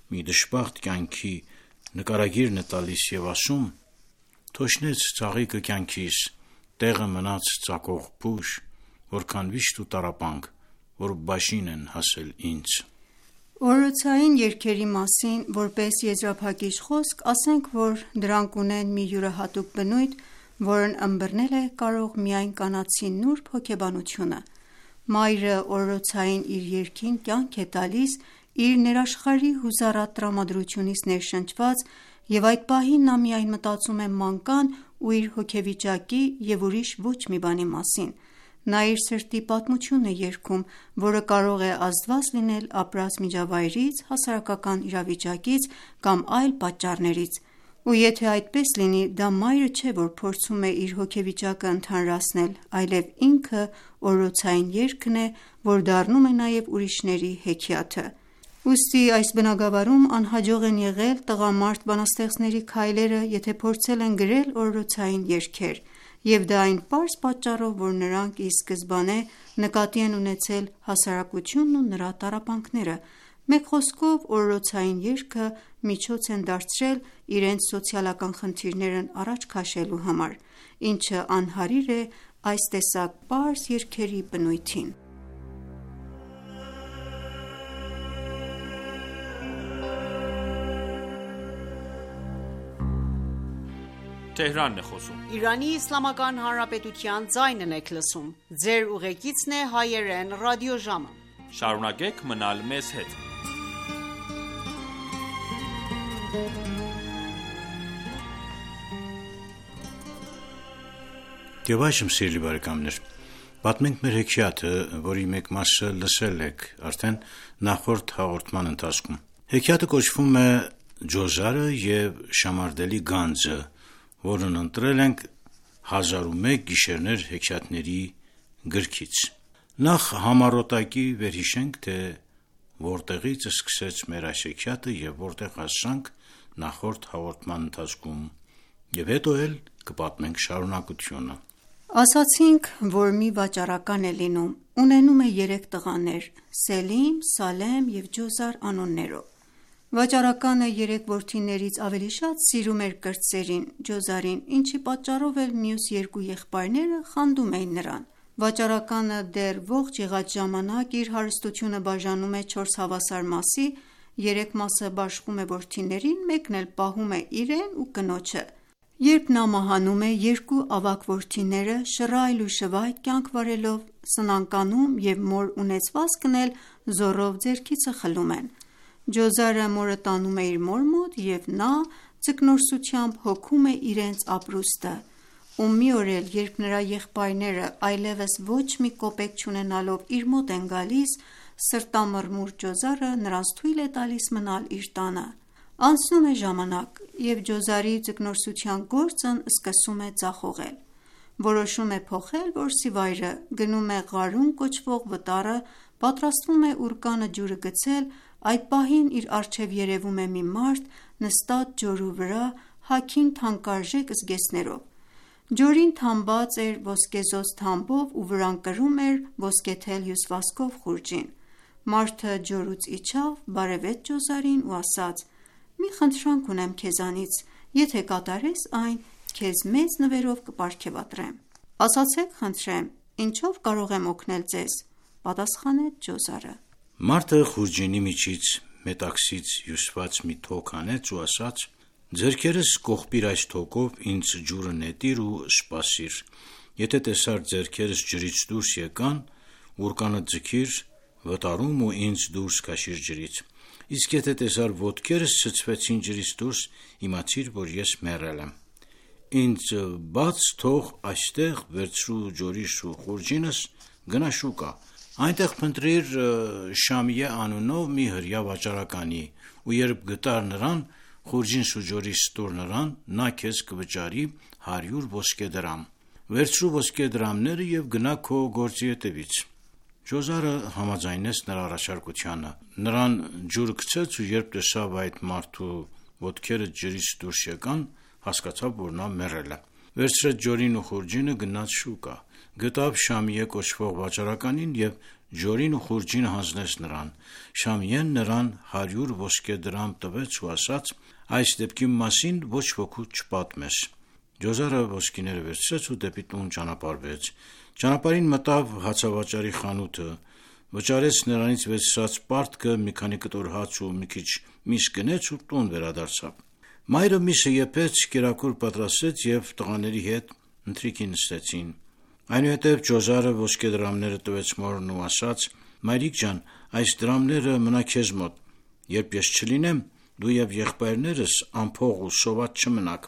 մի դժբախտ կյանքի նկարագիրն է տալիս և ասում. «Թոշնեց ծաղիկը կյանքիս, տեղը մնաց ծակող փուշ, որքան վիշտ ու տառապանք, որ բաժին են հասել ինձ»։ Օրորոցային երգերի մասին որպես եզրափակիչ խոսք ասենք, որ դրանք ունեն մի յուրահատուկ բնույթ, որն ըմբռնել է կարող միայն կանացի նուրբ հոգեբանությունը։ Մայրը օրորոցային իր երգին կյանք է տալիս իր ներաշխարհի հուզառատ տրամադրությունից ներշնչված, և այդ պահին նա միայն մտածում է մանկան ու իր հոգեվիճակի և ուրիշ ոչ մի բանի մասին։ Նա իր սրտի պատմությունն է երգում, որը կարող է ազդված լինել ապրած միջավայրից, հասարակական իրավիճակից կամ այլ պատճառներից։ Ու եթե այդպես լինի, դա մայրը չէ, որ փորձում է իր հոգեվիճակը ընդհանրացնել, այլև ինքը օրորոցային երգն է, որ դառնում է նաև ուրիշների հեքիաթը։ Ուստի այս բնագավառում անհաջող են եղել տղամարդ բանաստեղծների քայլերը, եթե փորձել են գրել օրորոցային երգեր, և դա այն պարզ պատճառով, որ նրանք ի սկզբանե նկատի են ունեցել հասարակությունն ու նրա տառապանքները։ Մեկ խոսքով, օրորոցային երգը միջոց են դարձրել իրենց սոցիալական խնդիրներն առաջ քաշելու համար, ինչը անհարիր է այս տեսակ պարզ երգերի բնույթին։ Շարունակեք մնալ մեզ հետ։ Եվ այժմ, սիրելի բարեկամներ, պատմենք մեր հեքիաթը, որի մեկ մասը լսել եք արդեն նախորդ հաղորդման ընթացքում։ Հեքիաթը կոչվում է «Ջոզարը և Շամարդելի գանձը», որն ընտրել ենք հազար ու մեկ գիշերներ հեքիաթների գրքից։ Նախ համառոտակի վերհիշենք, թե որտեղից սկսեց մեր այս հեքիաթը և որտեղ հասանք նախորդ հաղորդման ընթացքում, և հետո էլ կպատմենք շարունակությունը։ Ասացինք, որ մի վաճառական է լինում, ունենում է երեք տղաներ՝ Սելիմ, Սալեմ և Ջոզար անուններով։ Վաճառականը երեք որդիներից ավելի շատ սիրում էր կրտսերին՝ Ջոզարին, ինչի պատճառով էլ մյուս երկու եղբայրները խանդում էին նրան։ Վաճառականը դեռ ողջ եղած ժամանակ իր հարստությունը բաժանում է չորս հավասար մասի, երեք մասը բաշխում է որդիներին, մեկն էլ պահում է իրեն ու կնոջը։ Երբ նա մահանում է, երկու ավագ որդիները շռայլ ու շվայտ կյանք վարելով սնանկանում և մոր ունեցվածքն էլ զոռով ձեռքիցը խլում են։ Ջոզարը մորը տանում է իր մոր մոտ, և նա ձկնորսությամբ հոգում է իրենց ապրուստը։ Ու մի օր էլ, երբ նրա եղբայրները այլևս ոչ մի կոպեկ չունենալով իր մոտ են գալիս, սրտամռմուռ Ջոզարը նրանց թույլ է տալիս մնալ իր տանը։ Անցնում է ժամանակ, և Ջոզարի ձկնորսության գործն սկսում է ձախողել։ Որոշում է փոխել որսիվայրը, գնում է Ղարուն կոչվող վտարը, պատրաստվում է ուռկանը ջուրը գցել, այդ պահին իր առջև երևում է մի մարդ նստած ջորու վրա, հագին թանկարժեք զգեստներով։ Ջորին թամբած էր ոսկեզօծ թամբով ու վրան կրում էր ոսկեթել հյուսվածքով խուրջին։ Մարդը ջորուց իջավ, բարևեց Ջոզարին ու ասաց. «Մի խնդրանք ունեմ քեզանից, եթե կատարես այն, քեզ մեծ նվերով կպարգևատրեմ»։ «Ասացեք խնդրեմ, ինչով կարող եմ օգնել ձեզ», պատասխանեց Ջոզարը։ Մարդը խուրջինի միջից մետաքսից հյուսված մի թոք հանեց ու ասաց. «Ձեռքերս կողպիր այս թոքով, ինձ ջուրը նետիր ու սպասիր։ Եթե տեսար ձեռքերս ջրից դուրս եկան, ուռկանը ձգիր վտարում ու ինձ դուրս քաշիր ջրից։ Իսկ եթե տեսար ոտքերս ցցվեցին ջրից դուրս, իմացիր, որ ես մեռել եմ։ Ինձ բաց թող այստեղ, վերցրու ջորիս ու խուրջինս, գնա շուկա, այնտեղ փնտրիր Շամիե անունով մի հրեա վաճառականի, ու երբ գտար նրան, խուրջինս ու ջորիս տուր նրան, նա քեզ կվճարի հարյուր ոսկե դրամ։ Վերցրու ոսկե դրամները և գնա քո գործի հետևից»։ Ջոզարը համաձայնեց նրա առաջարկությանը։ Նրան ջուրը գցեց ու երբ տեսավ այդ մարդու ոտքերը ջրից դուրս եկան, հասկացավ, որ նա մեռել է։ Վերցրեց ջորին ու խուրջինը, գնաց շուկա, գտավ Շամիե կոչվող վաճառականին եւ ջորին ու խուրջինը հանձնեց նրան։ Շամիեն նրան հարյուր ոսկե դրամ տվեց ու ասաց. այս դեպքի մասին ոչ ոքի չպատմես։ Ջոզարը ոսկիները վերցրեց ու դեպի տուն ճանապարհվեց։ Ճանապարհին մտավ հացավաճառի խանութը, վճարեց նրանից վերցրած պարտքը, մի քանի կտոր հաց ու մի քիչ միս գնեց ու տուն վերադարձավ։ Մայրը միսը եփեց, կերակուր պատրաստեց եւ տղաների հետ ընթրիքի նստեցին։ Այնուհետև Ջոզարը ոսկե դրամները տվեց մորն ու ասաց. «Մայրիկ ջան, այս դրամները մնա քեզ մոտ, երբ ես չլինեմ, դու եւ եղբայրներս անփող ու սոված չմնաք»։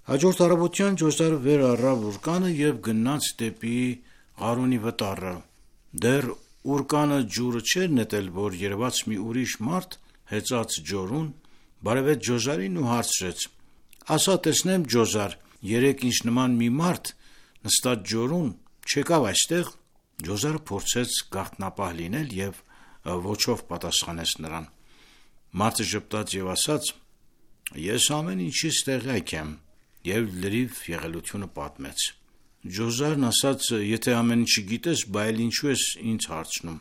Հաջորդ առավոտյան Ջոզարը վեր առավ ուռկանը եւ գնաց դեպի Ղարունի վտարը։ Դեռ ուռկանը ջուրը չէր նետել, որ երևաց մի ուրիշ մարդ հեծած ջորուն, բարևեց Ջոզարին ու հարցրեց. «Ասա տեսնեմ, Ջոզար, երեկ ինչ նման մի մարդ նստած ջորուն չեկավ այստեղ»։ Ջոզարը փորձեց գաղտնապահ լինել եւ ոչով պատասխանեց նրան։ Մարդը ժպտաց եւ ասաց. «Ես ամեն ինչից տեղյակ եմ» եւ լրիվ եղելությունը պատմեց։ Ջոզարն ասաց. «Եթե ամեն ինչը գիտես, բայց ինչու ես ինձ հարցնում»։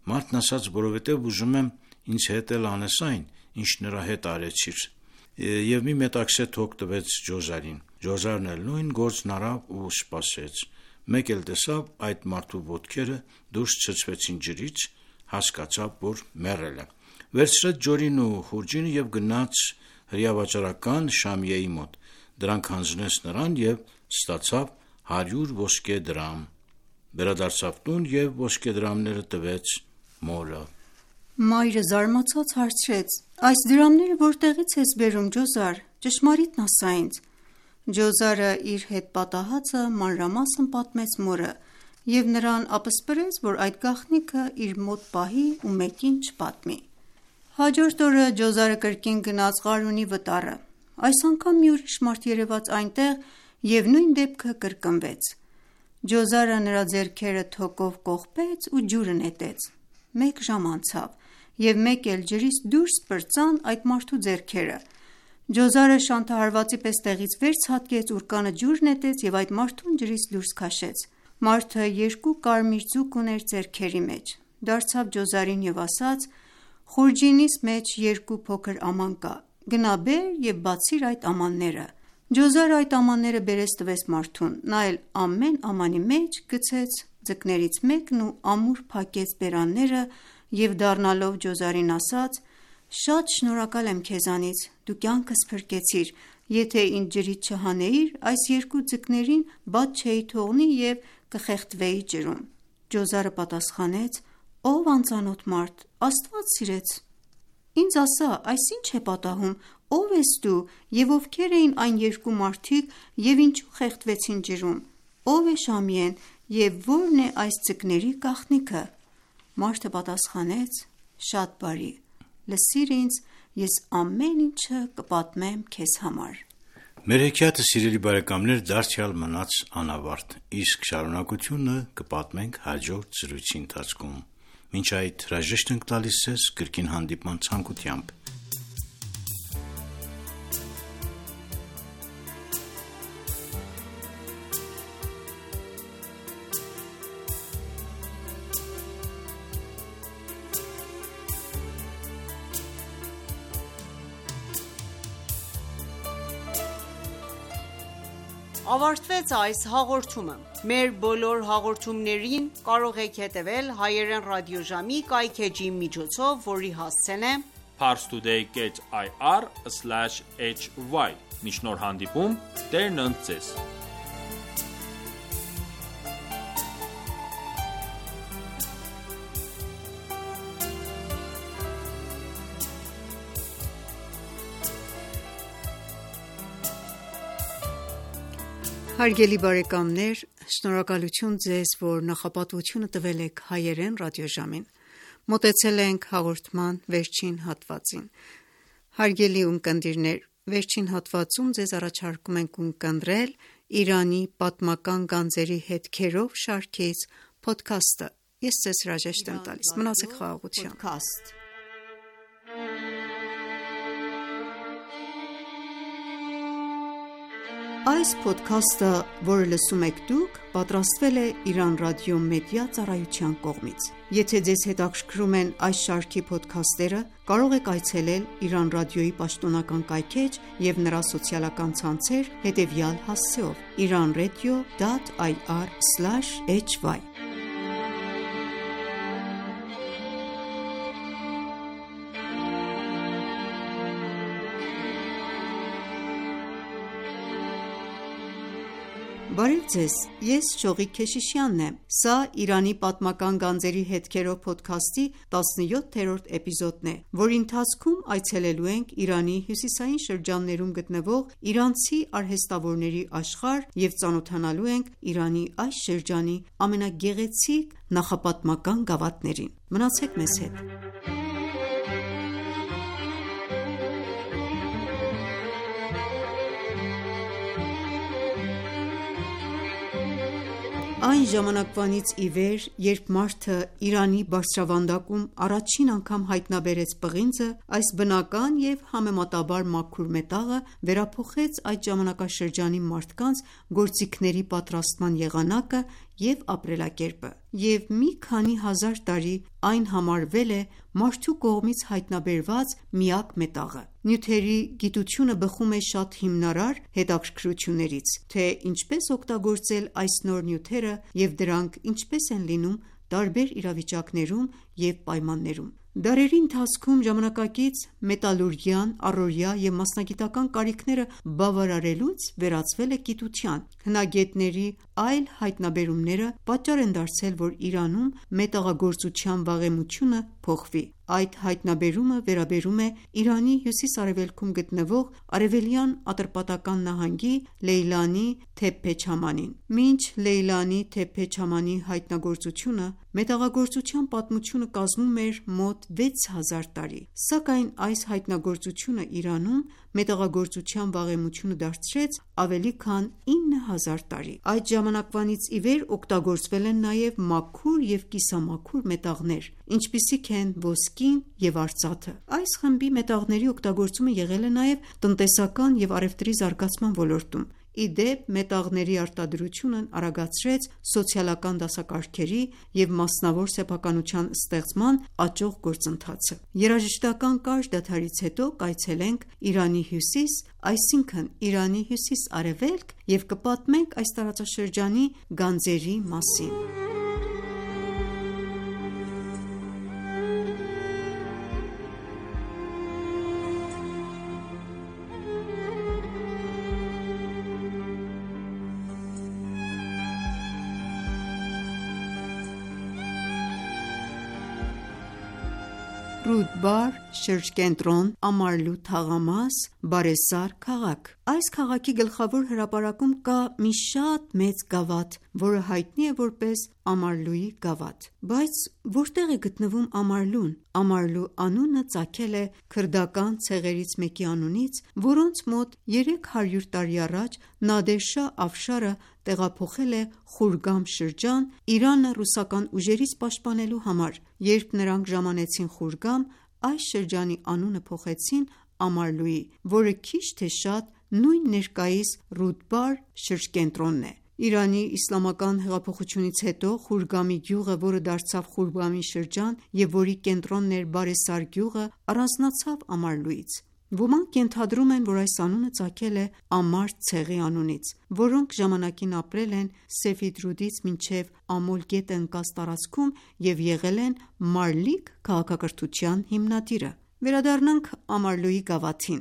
Մարդն ասաց. «Որովհետեւ ուզում եմ ինձ հետ էլ անես այն, ինչ նրա հետ արեցիր»։ Եվ մի մետաքսե թոք տվեց Ջոզարին։ Ջոզարն էլ նույն գործն արավ ու սպասեց։ Մեկ էլ տեսավ այդ մարդու ոտքերը դուրս ցցվեցին ջրից, հասկացավ, որ մեռել է։ Վերցրեց ջորին ու խուրջինը եւ գնաց հրեավաճառական Շամիեի մոտ։ Դրանք հանձնեց նրան եւ ստացավ հարյուր ոսկե դրամ։ Վերադարձավ տուն եւ ոսկե դրամները տվեց մորը։ Մայրը զարմացած հարցրեց. «Այս դրամները որտեղից ես բերում, Ջոզար, ճշմարիտն ասա ինձ»։ Ջոզարը իր հետ պատահածը մանրամասն պատմեց մորը եւ նրան ապսպրեց, որ այդ գաղտնիքը իր մոտ պահի ու մեկին չպատմի։ Հաջորդ օրը Ջոզարը կրկին գնաց Ղարունի վտարը։ Այս անգամ մի ուրիշ մարդ երևաց այնտեղ եւ նույն դեպքը կրկնվեց։ Ջոզարը նրա ձեռքերը թոկով կողպեց ու ջուրը նետեց։ Մեկ ժամ անցավ եւ մեկ էլ ջրից դուրս պրծան այդ մարդու ձեռքերը։ Ջոզարը շանթահարվածի պես տեղից վեր ցատկեց, ուռկանը ջուր նետեց եւ այդ մարդուն ջրից դուրս քաշեց։ Մարդը երկու կարմիր ձուկ ուներ ձեռքերի մեջ։ Դարձավ Ջոզարին եւ ասաց. «Խուրջինիս մեջ երկու փոքր աման կա, գնա բեր եւ բացիր այդ ամանները»։ Ջոզարը այդ ամանները բերեց տվեց մարդուն, նա էլ ամեն ամանի մեջ գցեց ձկներից մեկն ու ամուր փակեց բերանները եւ դառնալով Ջոզարին ասաց. «Շատ շնորհակալ եմ քեզանից, դու կյանքս փրկեցիր, եթե ինձ ջրից չհանեիր, այս երկու ձկներին բաց չէի թողնի եւ կխեղդվեի ջրում»։ Ջոզարը պատասխանեց. «Ով անծանոթ մարդ, Աստված սիրեց, ինձ ասա, այս ինչ է պատահում, ով ես դու եւ ովքեր էին այն երկու մարդիկ եւ ինչու խեղդվեցին ջրում, ով է Շամիեն եւ որն է այս ձկների գաղտնիքը»։ Մարդը պատասխանեց. «Շատ բարի, լսիր ինձ, ես ամեն ինչը կպատմեմ քեզ համար»։ Մեր հեքիաթը, սիրելի բարեկամներ, դարձյալ մնաց անավարտ, իսկ շարունակությունը կպատմենք հաջորդ զրույցի ընթացքում։ Մինչ այդ հրաժեշտ ենք տալիս ձեզ կրկին հանդիպման ցանկությամբ։ Ավարտվեց այս հաղորդումը։ Մեր բոլոր հաղորդումներին կարող եք հետևել հայերեն ռադիոժամի կայքէջի միջոցով, որի հասցեն է parstoday dot i r slash h y։ Մինչ նոր հանդիպում, Տերն ընդ ձեզ։ Հարգելի բարեկամներ, շնորհակալություն ձեզ, որ նախապատվությունը տվել եք հայերեն ռադիոժամին։ Մոտեցել ենք հաղորդման վերջին հատվածին։ Հարգելի ունկնդիրներ, վերջին հատվածում ձեզ առաջարկում ենք ունկնդրել Իրանի պատմական գանձերի հետքերով շարքից փոդքասթը։ Ես ձեզ հրաժեշտ եմ տալիս։ Մնացեք խաղաղությամբ։ Այս փոդքասթը, որը լսում եք դուք, պատրաստվել է Իրանական ռադիո մեդիա ծառայության կողմից։ Եթե ձեզ հետաքրքրում են այս շարքի փոդքասթերը, կարող եք այցելել Իրանական ռադիոյի պաշտոնական կայքէջ և նրա սոցիալական ցանցեր հետևյալ հասցեով՝ iranradio dot ir slash hy Բարև ձեզ, ես Շողիկ Քեշիշյանն եմ։ Սա Իրանի պատմական գանձերի հետքերով փոդքասթի տասնյոթերորդ էպիզոդն է, որի ընթացքում այցելելու ենք Իրանի հյուսիսային շրջաններում գտնվող իրանցի արհեստավորների աշխարհ և ծանոթանալու ենք Իրանի այս շրջանի ամենագեղեցիկ նախապատմական գավաթներին։ Մնացեք մեզ հետ։ Այն ժամանակվանից ի վեր, երբ մարդը Իրանի բարձրավանդակում առաջին անգամ հայտնաբերեց պղինձը, այս բնական և համեմատաբար մաքուր մետաղը վերափոխեց այդ ժամանակաշրջանի մարդկանց գործիքների պատրաստման եղանակը և ապրելակերպը, և մի քանի հազար տարի այն համարվել է մարդու կողմից հայտնաբերված միակ մետաղը։ Նյութերի գիտությունը բխում է շատ հիմնարար հետաքրքրություններից, թե ինչպես օգտագործել այս նոր նյութերը և դրանք ինչպես են լինում տարբեր իրավիճակներում և պայմաններում։ Դարերի ընթացքում ժամանակակից մետալուրգիան առօրյա և մասնագիտական կարիքները բավարարելուց վերածվել է գիտության։ Հնագետների այլ հայտնաբերումները պատճառ են դարձել, որ Իրանում մետաղագործության վաղեմությունը փոխվի։ Այդ հայտնաբերումը վերաբերում է Իրանի հյուսիս-արևելքում գտնվող Արևելյան Ատրպատական նահանգի Լեյլանի Թեփփե չամանին։ Մինչ Լեյլանի Թեփփե չամանի հայտնագործությունը մետաղագործության պատմությունը կազմում էր մոտ վեց հազար տարի, սակայն այս հայտնագործությունը Իրանում մետաղագործության վաղեմությունը դարձրեց ավելի քան ինը հազար տարի։ Այդ ժամանակվանից ի վեր օգտագործվել են նաև մաքուր և կիսամաքուր մետաղներ, ինչպիսիք են ոսկին և արծաթը։ Այս խմբի մետաղների օգտագործումը եղել է նաև տնտեսական և առևտրի զարգացման ոլորտում։ Ի դեպ, մետաղների արտադրությունն արագացրեց սոցիալական դասակարգերի և մասնավոր սեփականության ստեղծման աճող գործընթացը։ Երաժշտական կարճ դադարից հետո կայցելենք Իրանի հյուսիս, այսինքն Իրանի հյուսիս-արևելք և կպատմենք այս տարածաշրջանի գանձերի մասին։ Ռուդբար, շրջկենտրոն, Ամարլու թաղամաս, բարեսար քաղաք։ Այս քաղաքի գլխավոր հրապարակում կա մի շատ մեծ գավաթ, որը հայտնի է որպես Ամարլուի գավաթ։ Բայց որտեղ է գտնվում Ամարլուն։ Ամարլու անունը ծագել է քրդական ցեղերից մեկի անունից, որոնց մոտ երեք հարյուր տարի առաջ Նադեր Շահ Աֆշարը տեղափոխել է Խուրգամ շրջան՝ Իրանը ռուսական ուժերից պաշտպանելու համար։ Երբ նրանք ժամանեցին Խուրգամ, այս շրջանի անունը փոխեցին Ամարլուի, որը քիչ թե շատ նույն ներկայիս Ռուդբար շրջկենտրոնն է։ Իրանի իսլամական հեղափոխությունից հետո Խուրգամի գյուղը, որը դարձավ Խուրգամի շրջան և որի կենտրոնն էր Բարեսար գյուղը, առանձնացավ Ամարլուից։ Ոմանք ենթադրում են, որ այս անունը ծագել է Ամար ցեղի անունից, որոնք ժամանակին ապրել են Սեֆիդրուդից մինչև Ամոլ գետը ընկած տարածքում և եղել են Մարլիկ քաղաքակրթության հիմնադիրը։ Վերադառնանք Ամարլուի գավաթին,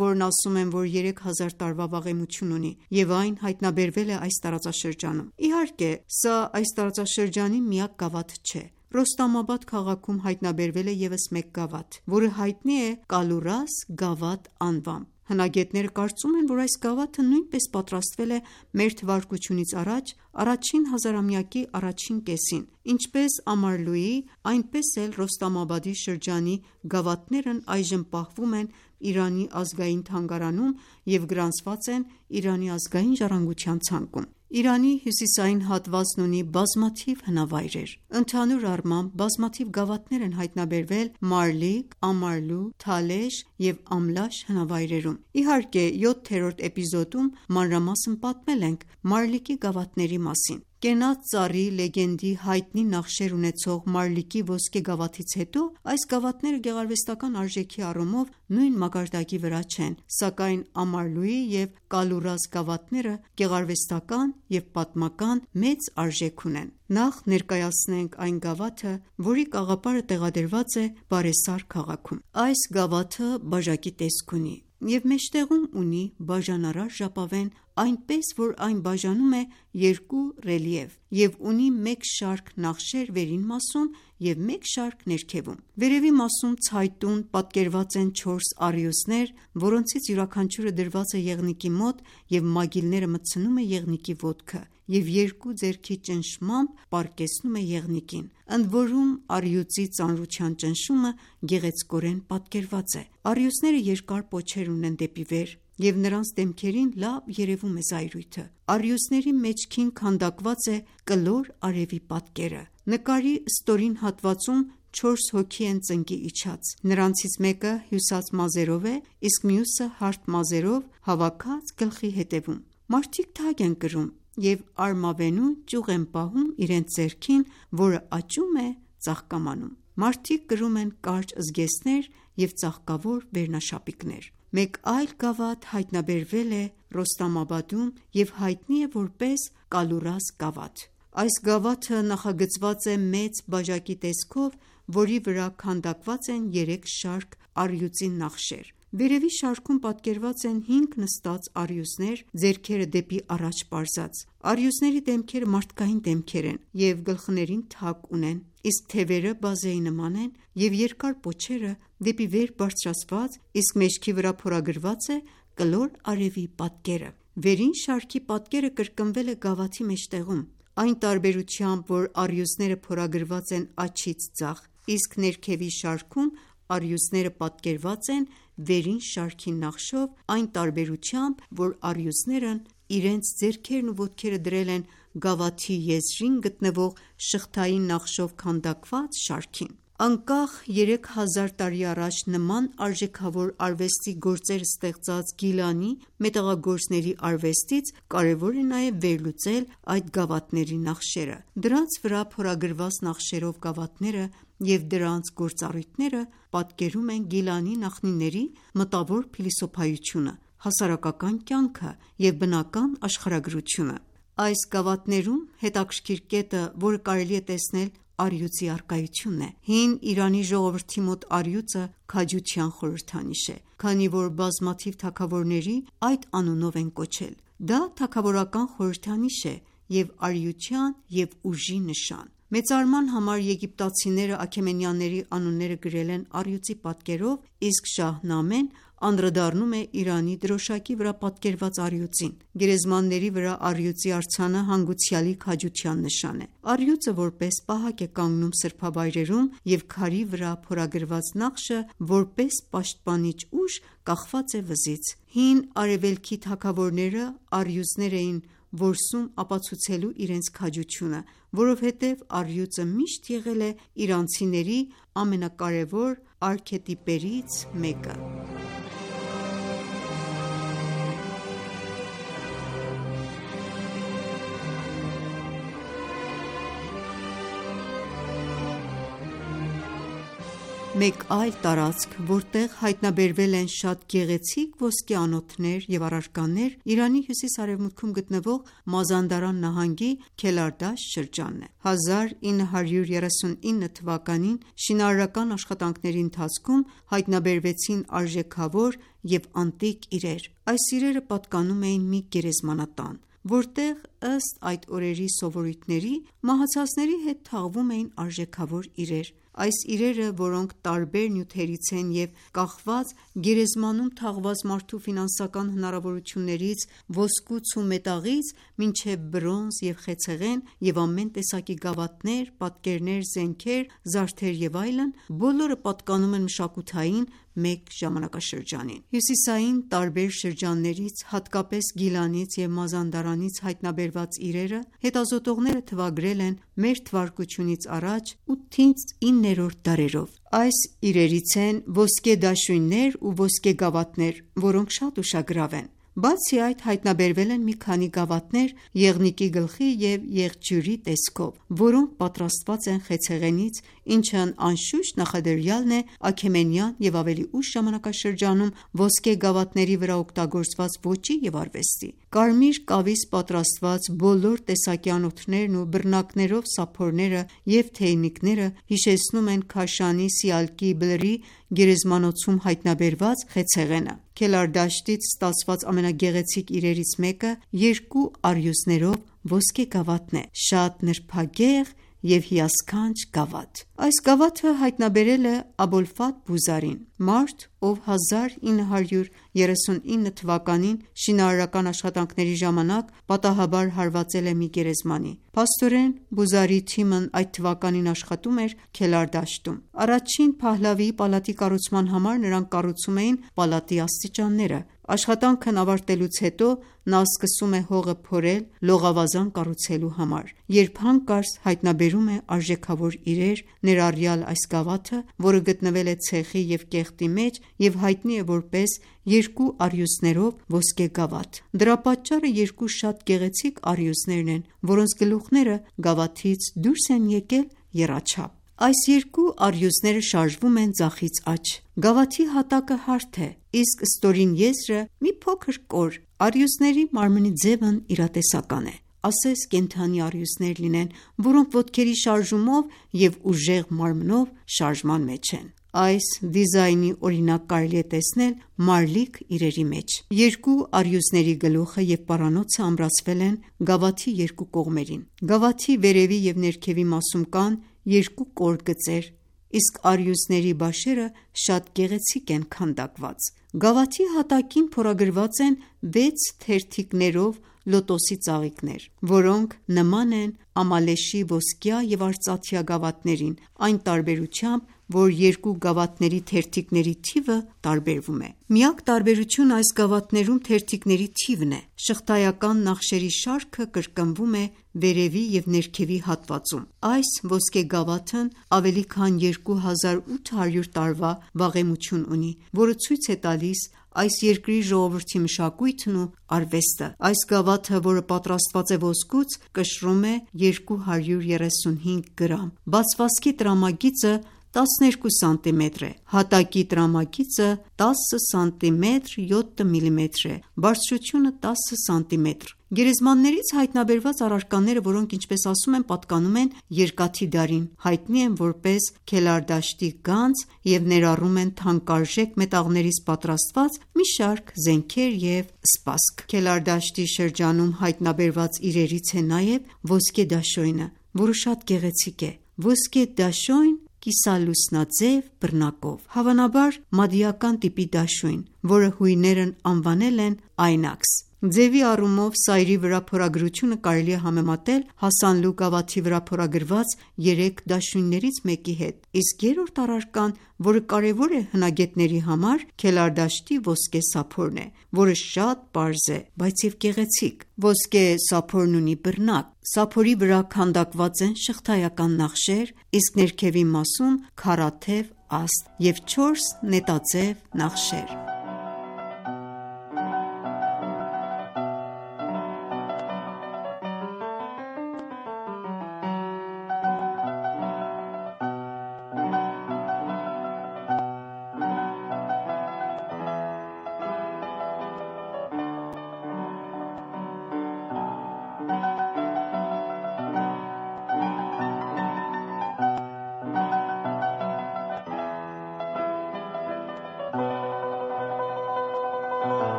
որն ասում են, որ երեք հազար տարվա վաղեմություն ունի և այն հայտնաբերվել է այս տարածաշրջանում։ Իհարկե, սա այս տարածաշրջանի միակ գավաթը չէ։ Ռոստամաբադ քաղաքում հայտնաբերվել է ևս մեկ գավաթ, որը հայտնի է Կալուրաս գավաթ անվամբ։ Հնագետները կարծում են, որ այս գավաթը նույնպես պատրաստվել է մեր թվարկությունից առաջ առաջին հազարամյակի առաջին կեսին։ Ինչպես Ամարլուի, այնպես էլ Ռոստամաբադի շրջանի գավաթներն այժմ պահվում են Իրանի ազգային թանգարանում և գրանցված են Իրանի ազգային ժառանգության ցանկում։ Իրանի հյուսիսային հատվածն ունի բազմաթիվ հնավայրեր։ Ընդհանուր առմամբ, բազմաթիվ գավաթներ են հայտնաբերվել Մարլիկ, Ամարլու, Թալեշ և Ամլաշ հնավայրերում։ Իհարկե, յոթերորդ էպիզոդում մանրամասն պատմել ենք Մարլիկի գավաթների մասին։ Կենաց ծառի լեգենդի հայտնի նախշեր ունեցող Մարլիկի ոսկե գավաթից հետո այս գավաթները գեղարվեստական արժեքի առումով նույն մակարդակի վրա չեն, սակայն Ամարլուի և Կալուրաս գավաթները գեղարվեստական և պատմական մեծ արժեք ունեն։ Նախ ներկայացնենք այն գավաթը, որի կաղապարը տեղադրված է Բարեսար քաղաքում։ Այս գավաթը բաժակի տեսք ունի և մեջտեղում ունի բաժանարար ժապավեն, այնպես որ այն բաժանում է երկու ռելիեֆ և ունի մեկ շարք նախշեր վերին մասում և մեկ շարք ներքևում։ Վերևի մասում ցայտուն պատկերված են չորս առիոսներ, որոնցից յուրաքանչյուրը դրված է եղնիկի մոտ և մագիլները մտցնում է եղնիկի ոտքը և երկու ձեռքի ճնշմամբ պառկեցնում է եղնիկին, ընդորում առյուծի ծանրության ճնշումը գեղեցկորեն պատկերված է։ Առիոսները երկար պոչեր ունեն դեպի վեր և նրանց դեմքերին լավ երևում է զայրույթը։ Առիոսների մեջքին քանդակված է կլոր արևի պատկերը։ Նկարի ստորին հատվածում չորս հոգի են ծնկի իջած։ Նրանցից մեկը հյուսած մազերով է, իսկ մյուսը հարթ մազերով հավաքած գլխի ետևում։ Մարդիկ թագ են կրում և արմավենու ճյուղ են պահում իրենց ձեռքին, որը աճում է ծաղկամանում։ Մարդիկ կրում են կարճ զգեստներ և ծաղկավոր վերնաշապիկներ։ Մեկ այլ գավաթ հայտնաբերվել է Ռոստամաբադում և հայտնի է որպես Կալուրաս գավաթ։ Այս գավաթը նախագծված է մեծ բաժակի տեսքով, որի վրա քանդակված են երեք շարք առյուծի նախշեր։ Վերևի շարքում պատկերված են հինգ նստած առիոսներ, ձեռքերը դեպի առաջ պարզած։ Առիոսների դեմքերը մարդկային դեմքեր են և գլխներին թակ ունեն, իսկ թևերը բազեի նման են և երկար պոչերը դեպի վեր բարձրացված, իսկ մեջքի վրա փորագրված է կլոր արևի պատկերը։ Վերին շարքի պատկերը կրկնվել է գավաթի մեջտեղում, այն տարբերությամբ, որ առիոսները փորագրված են աջից ձախ, իսկ ներքևի շարքում առիոսները պատկերված են վերին շարքի նախշով, այն տարբերությամբ, որ առիոսներն իրենց ձեռքերն ու ոտքերը դրել են գավաթի եզրին գտնվող շղթային նախշով քանդակված շարքին։ Անկախ երեք հազար տարի առաջ նման արժեքավոր արվեստի գործեր ստեղծած Գիլանի մետաղագործների արվեստից կարևոր է նաև վերլուծել այդ գավաթների նախշերը։ Դրանց վրա փորագրված նախշերով գավաթները և դրանց գործառույթները պատկերում են Գիլանի նախնիների մտավոր փիլիսոփայությունը, հասարակական կյանքը և բնական աշխարհագրությունը։ Այս գավաթներում հետաքրքիր կետը, որը կարելի է տեսնել, առյուծի առկայությունն է։ Հին Իրանի ժողովրդի մոտ առյուծը քաջության խորհրդանիշ է, քանի որ բազմաթիվ թագավորների այդ անունով են կոչել։ Դա թագավորական խորհրդանիշ է և առիության և ուժի նշան։ Մեծարման համար եգիպտացիները Աքեմենյանների անունները գրել են առյուծի պատկերով, իսկ Շահնամեն անդրադառնում է Իրանի դրոշակի վրա պատկերված առյուծին։ Գերեզմանների վրա առյուծի արձանը հանգուցյալի քաջության նշան է։ Առյուծը որպես պահակ է կանգնում սրբավայրերում և քարի վրա փորագրված նախշը որպես պաշտպանիչ ուժ կախված է վզից։ Հին արևելքի թագավորները առյուծներ էին որսում ապացուցելու իրենց քաջությունը, որովհետև առյուծը միշտ եղել է իրանցիների ամենակարևոր արքետիպերից մեկը։ Մեկ այլ տարածք, որտեղ հայտնաբերվել են շատ գեղեցիկ ոսկե անոթներ և առարկաներ, Իրանի հյուսիս-արևմուտքում գտնվող Մազանդարան նահանգի Քելարդաշտ շրջանն է։ հազար ինը հարյուր երեսունինը թվականին շինարարական աշխատանքների ընթացքում հայտնաբերվեցին արժեքավոր և անտիկ իրեր։ Այս իրերը պատկանում էին մի գերեզմանատան, որտեղ, ըստ այդ օրերի սովորույթների, մահացածների հետ թաղվում էին արժեքավոր իրեր։ Այս իրերը, որոնք տարբեր նյութերից են և կախված գերեզմանում թաղված մարդու ֆինանսական հնարավորություններից, ոսկուց ու մետաղից մինչև բրոնզ և խեցեղեն և ամեն տեսակի գավաթներ, պատկերներ, զենքեր, զարդեր և այլն, բոլորը պատկանում են մշակութային, մեկ ժամանակաշրջանին։ Հյուսիսային տարբեր շրջաններից, հատկապես Գիլանից և Մազանդարանից հայտնաբերված իրերը հետազոտողները թվագրել են մեր թվարկությունից առաջ ութից իններորդ դարերով։ Այս իրերից են ոսկե դաշույններ ու ոսկե գավաթներ, որոնք շատ ուշագրավ են։ Բացի այդ, հայտնաբերվել են մի քանի գավաթներ եղնիկի գլխի և եղջյուրի տեսքով, որոնք պատրաստված են խեցեղենից, ինչն անշուշտ նախադրյալն է Աքեմենյան և ավելի ուշ ժամանակաշրջանում ոսկե գավաթների վրա օգտագործված ոճի և արվեստի։ Կարմիր կավից պատրաստված բոլոր տեսակի անոթներն ու բռնակներով սափորները և թեյնիկները հիշեցնում են Քաշանի Սիալկի Բլրի գերեզմանոցում հայտնաբերված խեցեղենը։ Քելարդաշտից ստացված ամենագեղեցիկ իրերից մեկը երկու առյուծներով ոսկե գավաթն է, շատ նրբագեղ և հիասքանչ գավաթ։ Այս գավաթը հայտնաբերել է Աբոլֆաթ Բուզարին, մարդ, ով հազար ինը հարյուր երեսունինը թվականին շինարարական աշխատանքների ժամանակ պատահաբար հարվածել է մի գերեզմանի։ Փաստորեն, Բուզարիի թիմն այդ թվականին աշխատում էր Քելարդաշտում։ Առաջին Փահլավիի պալատի կառուցման համար նրանք կառուցում էին պալատի աստիճանները։ Աշխատանքն ավարտելուց հետո նա սկսում է հողը փորել լողավազան կառուցելու համար, երբ հանկարծ հայտնաբերում է արժեքավոր իրեր, ներառյալ այս գավաթը, որը գտնվել է ցեխի և կեղտի մեջ և հայտնի է որպես երկու առյուծներով ոսկե գավաթ։ Դրա պատճառը երկու շատ գեղեցիկ առյուծներն են, որոնց գլուխները գավաթից դուրս են եկել եռաչափ։ Այս երկու առյուծները շարժվում են ձախից աջ։ Գավաթի հատակը հարթ է, իսկ ստորին եզրը մի փոքր կոր։ Առյուծների մարմնի ձևն իրատեսական է, ասես կենդանի առյուծներ լինեն, որոնք ոտքերի շարժումով և ուժեղ մարմնով շարժման մեջ են։ Այս դիզայնի օրինակ կարելի է տեսնել մարլիկ իրերի մեջ։ Երկու առյուծների գլուխը և պարանոցը ամրացվել են գավաթի երկու կողմերին։ Գավաթի վերևի և ներքևի մասում կան երկու կոր գծեր, իսկ առյուծների բաշերը շատ գեղեցիկ են քանդակված։ Գավաթի հատակին փորագրված են վեց թերթիկներով լոտոսի ծաղիկներ, որոնք նման են ամալեշի ոսկյա և արծաթյա գավաթներին, այն տարբերությամբ, որ երկու գավաթների թերթիկների թիվը տարբերվում է։ Միակ տարբերությունը այս գավաթներում թերթիկների թիվն է։ Շղթայական նախշերի շարքը կրկնվում է վերևի և ներքևի հատվածում։ Այս ոսկե գավաթն ավելի քան երկու հազար ութ հարյուր տարվա վաղեմություն ունի, որը ցույց է տալիս այս երկրի ժողովրդի մշակույթն ու արվեստը։ Այս գավաթը, որը պատրաստված է ոսկուց, կշռում է երկու հարյուր երեսունհինգ գրամ։ Բացվածքի տրամագիծը տասներկու սանտիմետր է, հատակի տրամագիծը տասը սանտիմետր յոթ միլիմետր է, բարձրությունը տասը սանտիմետր։ Գերեզմաններից հայտնաբերված առարկաները, որոնք, ինչպես ասում են, պատկանում են երկաթի դարին, հայտնի են որպես Քելարդաշտի գանձ և ներառում են թանկարժեք մետաղներից պատրաստված մի շարք զենքեր և սպասք։ Քելարդաշտի շրջանում հայտնաբերված իրերից է նաև ոսկե դաշոյնը, որը շատ գեղեցիկ է։ Ոսկե դաշոյն կիսալուսնաձև բռնակով, հավանաբար մադիական տիպի դաշույն, որը հույներն անվանել են Այնաքս։ Ձևի առումով սայրի վրա փորագրությունը կարելի է համեմատել Հասանլու գավաթի վրա փորագրված երեք դաշույններից մեկի հետ, իսկ երրորդ առարկան, որը կարևոր է հնագետների համար, Քելարդաշտի ոսկե սափորն է, որը շատ պարզ է, բայց և գեղեցիկ։ Ոսկե սափորն ունի բռնակ, սափորի վրա քանդակված են շղթայական նախշեր, իսկ ներքևի մասում քառաթև աստ և չորս նետաձև նախշեր։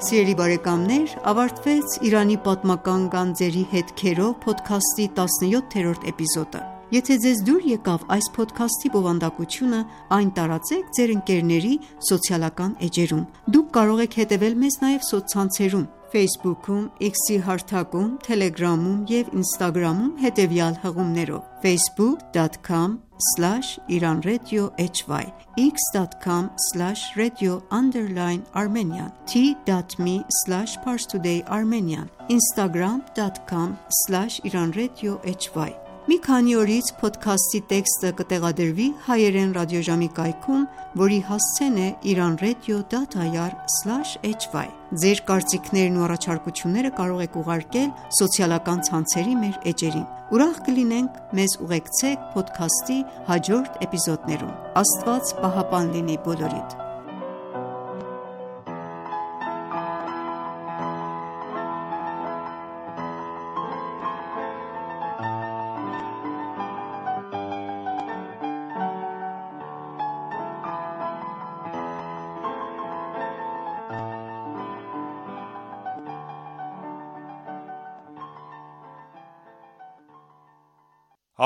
Սիրելի բարեկամներ, ավարտվեց «Իրանի պատմական գանձերի հետքերով» փոդքասթի տասնյոթերորդ էպիզոդը։ Եթե ձեզ դուր եկավ այս փոդքասթի բովանդակությունը, այն տարածեք ձեր ընկերների սոցիալական էջերում։ Դուք կարող եք հետևել մեզ նաև սոցցանցերում Facebook-ում, X-ի հարթակում, Telegram-ում և Instagram-ում հետևյալ հղումներով՝ facebook dot com slash iran radio hy, x dot com slash radio underline armenian, t.me slash parstoday armenian, instagram dot com slash iran radio hy։ Մի քանի օրից փոդքասթի տեքստը կտեղադրվի հայերեն ռադիոժամի կայքում, որի հասցեն է iranradio dot ir slash hy։ Ձեր կարծիքներն ու առաջարկությունները կարող եք ուղարկել սոցիալական ցանցերի մեր էջերին։ Ուրախ կլինենք մեզ ուղեկցեք փոդքասթի հաջորդ էպիզոդներում։ Աստված պահապան լինի բոլորիդ։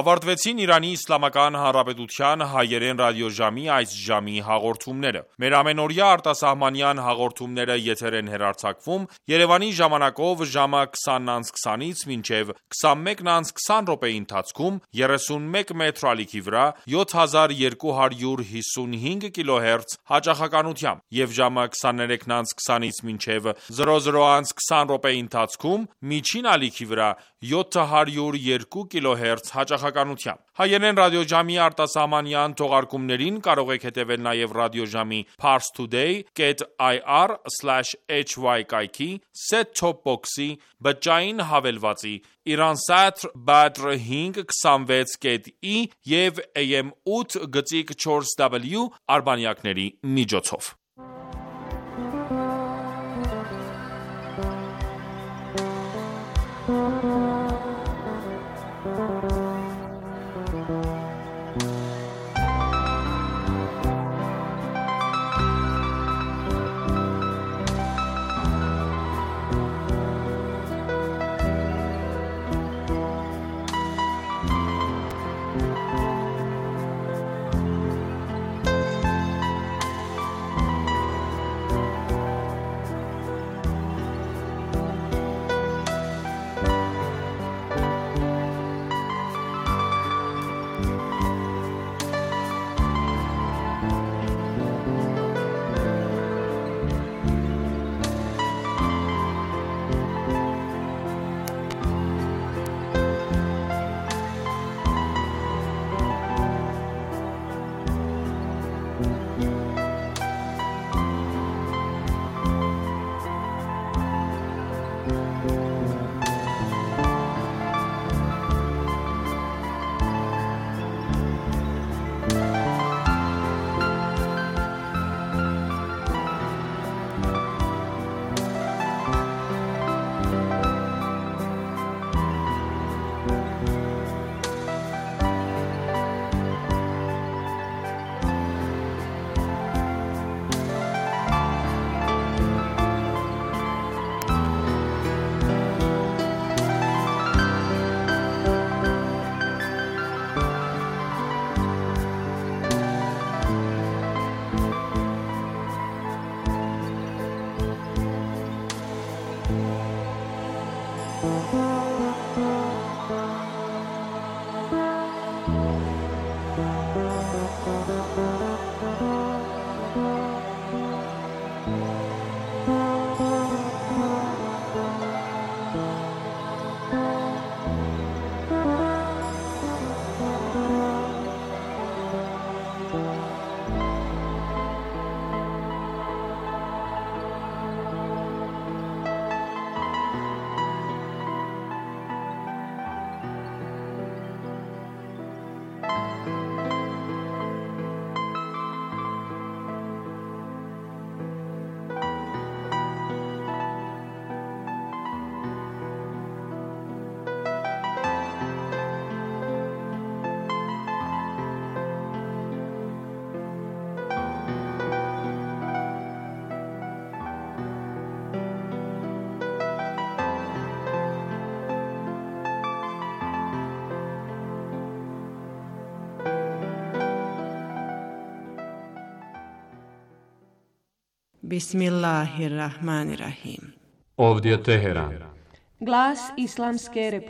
Ավարտվեցին Իրանի Իսլամական Հանրապետության հայերեն ռադիոժամի այս ժամի հաղորդումները։ Մեր ամենօրյա արտասահմանյան հաղորդումները եթեր են հեռարձակվում Երևանի ժամանակով ժամը քսանից քսանից մինչև քսանմեկը քսան րոպեի ընթացքում երեսունմեկ մեթր ալիքի վրա յոթ հազար երկու հարյուր հիսունհինգ կիլոհերց հաճախականությամբ և ժամը քսաներեքը քսանից մինչև զրո զրո քսան րոպեի ընթացքում միջին ալիքի վրա յոթ հարյուր երկու կիլոհերց հաճախականությամբ։ Հայերեն ռադիոժամի արտասահմանյան թողարկումներին կարող եք հետևել նաև ռադիոժամի parstoday dot ir slash hy կայքի, set-top box-ի, բջջային հավելվածի, Iransat Badr հինգ քսանվեց կետ ի և A M ութ գծիկ չորս W արբանյակների միջոցով։ Bismillahirrahmanirrahim. Ovdje Teheran. Glas Islamske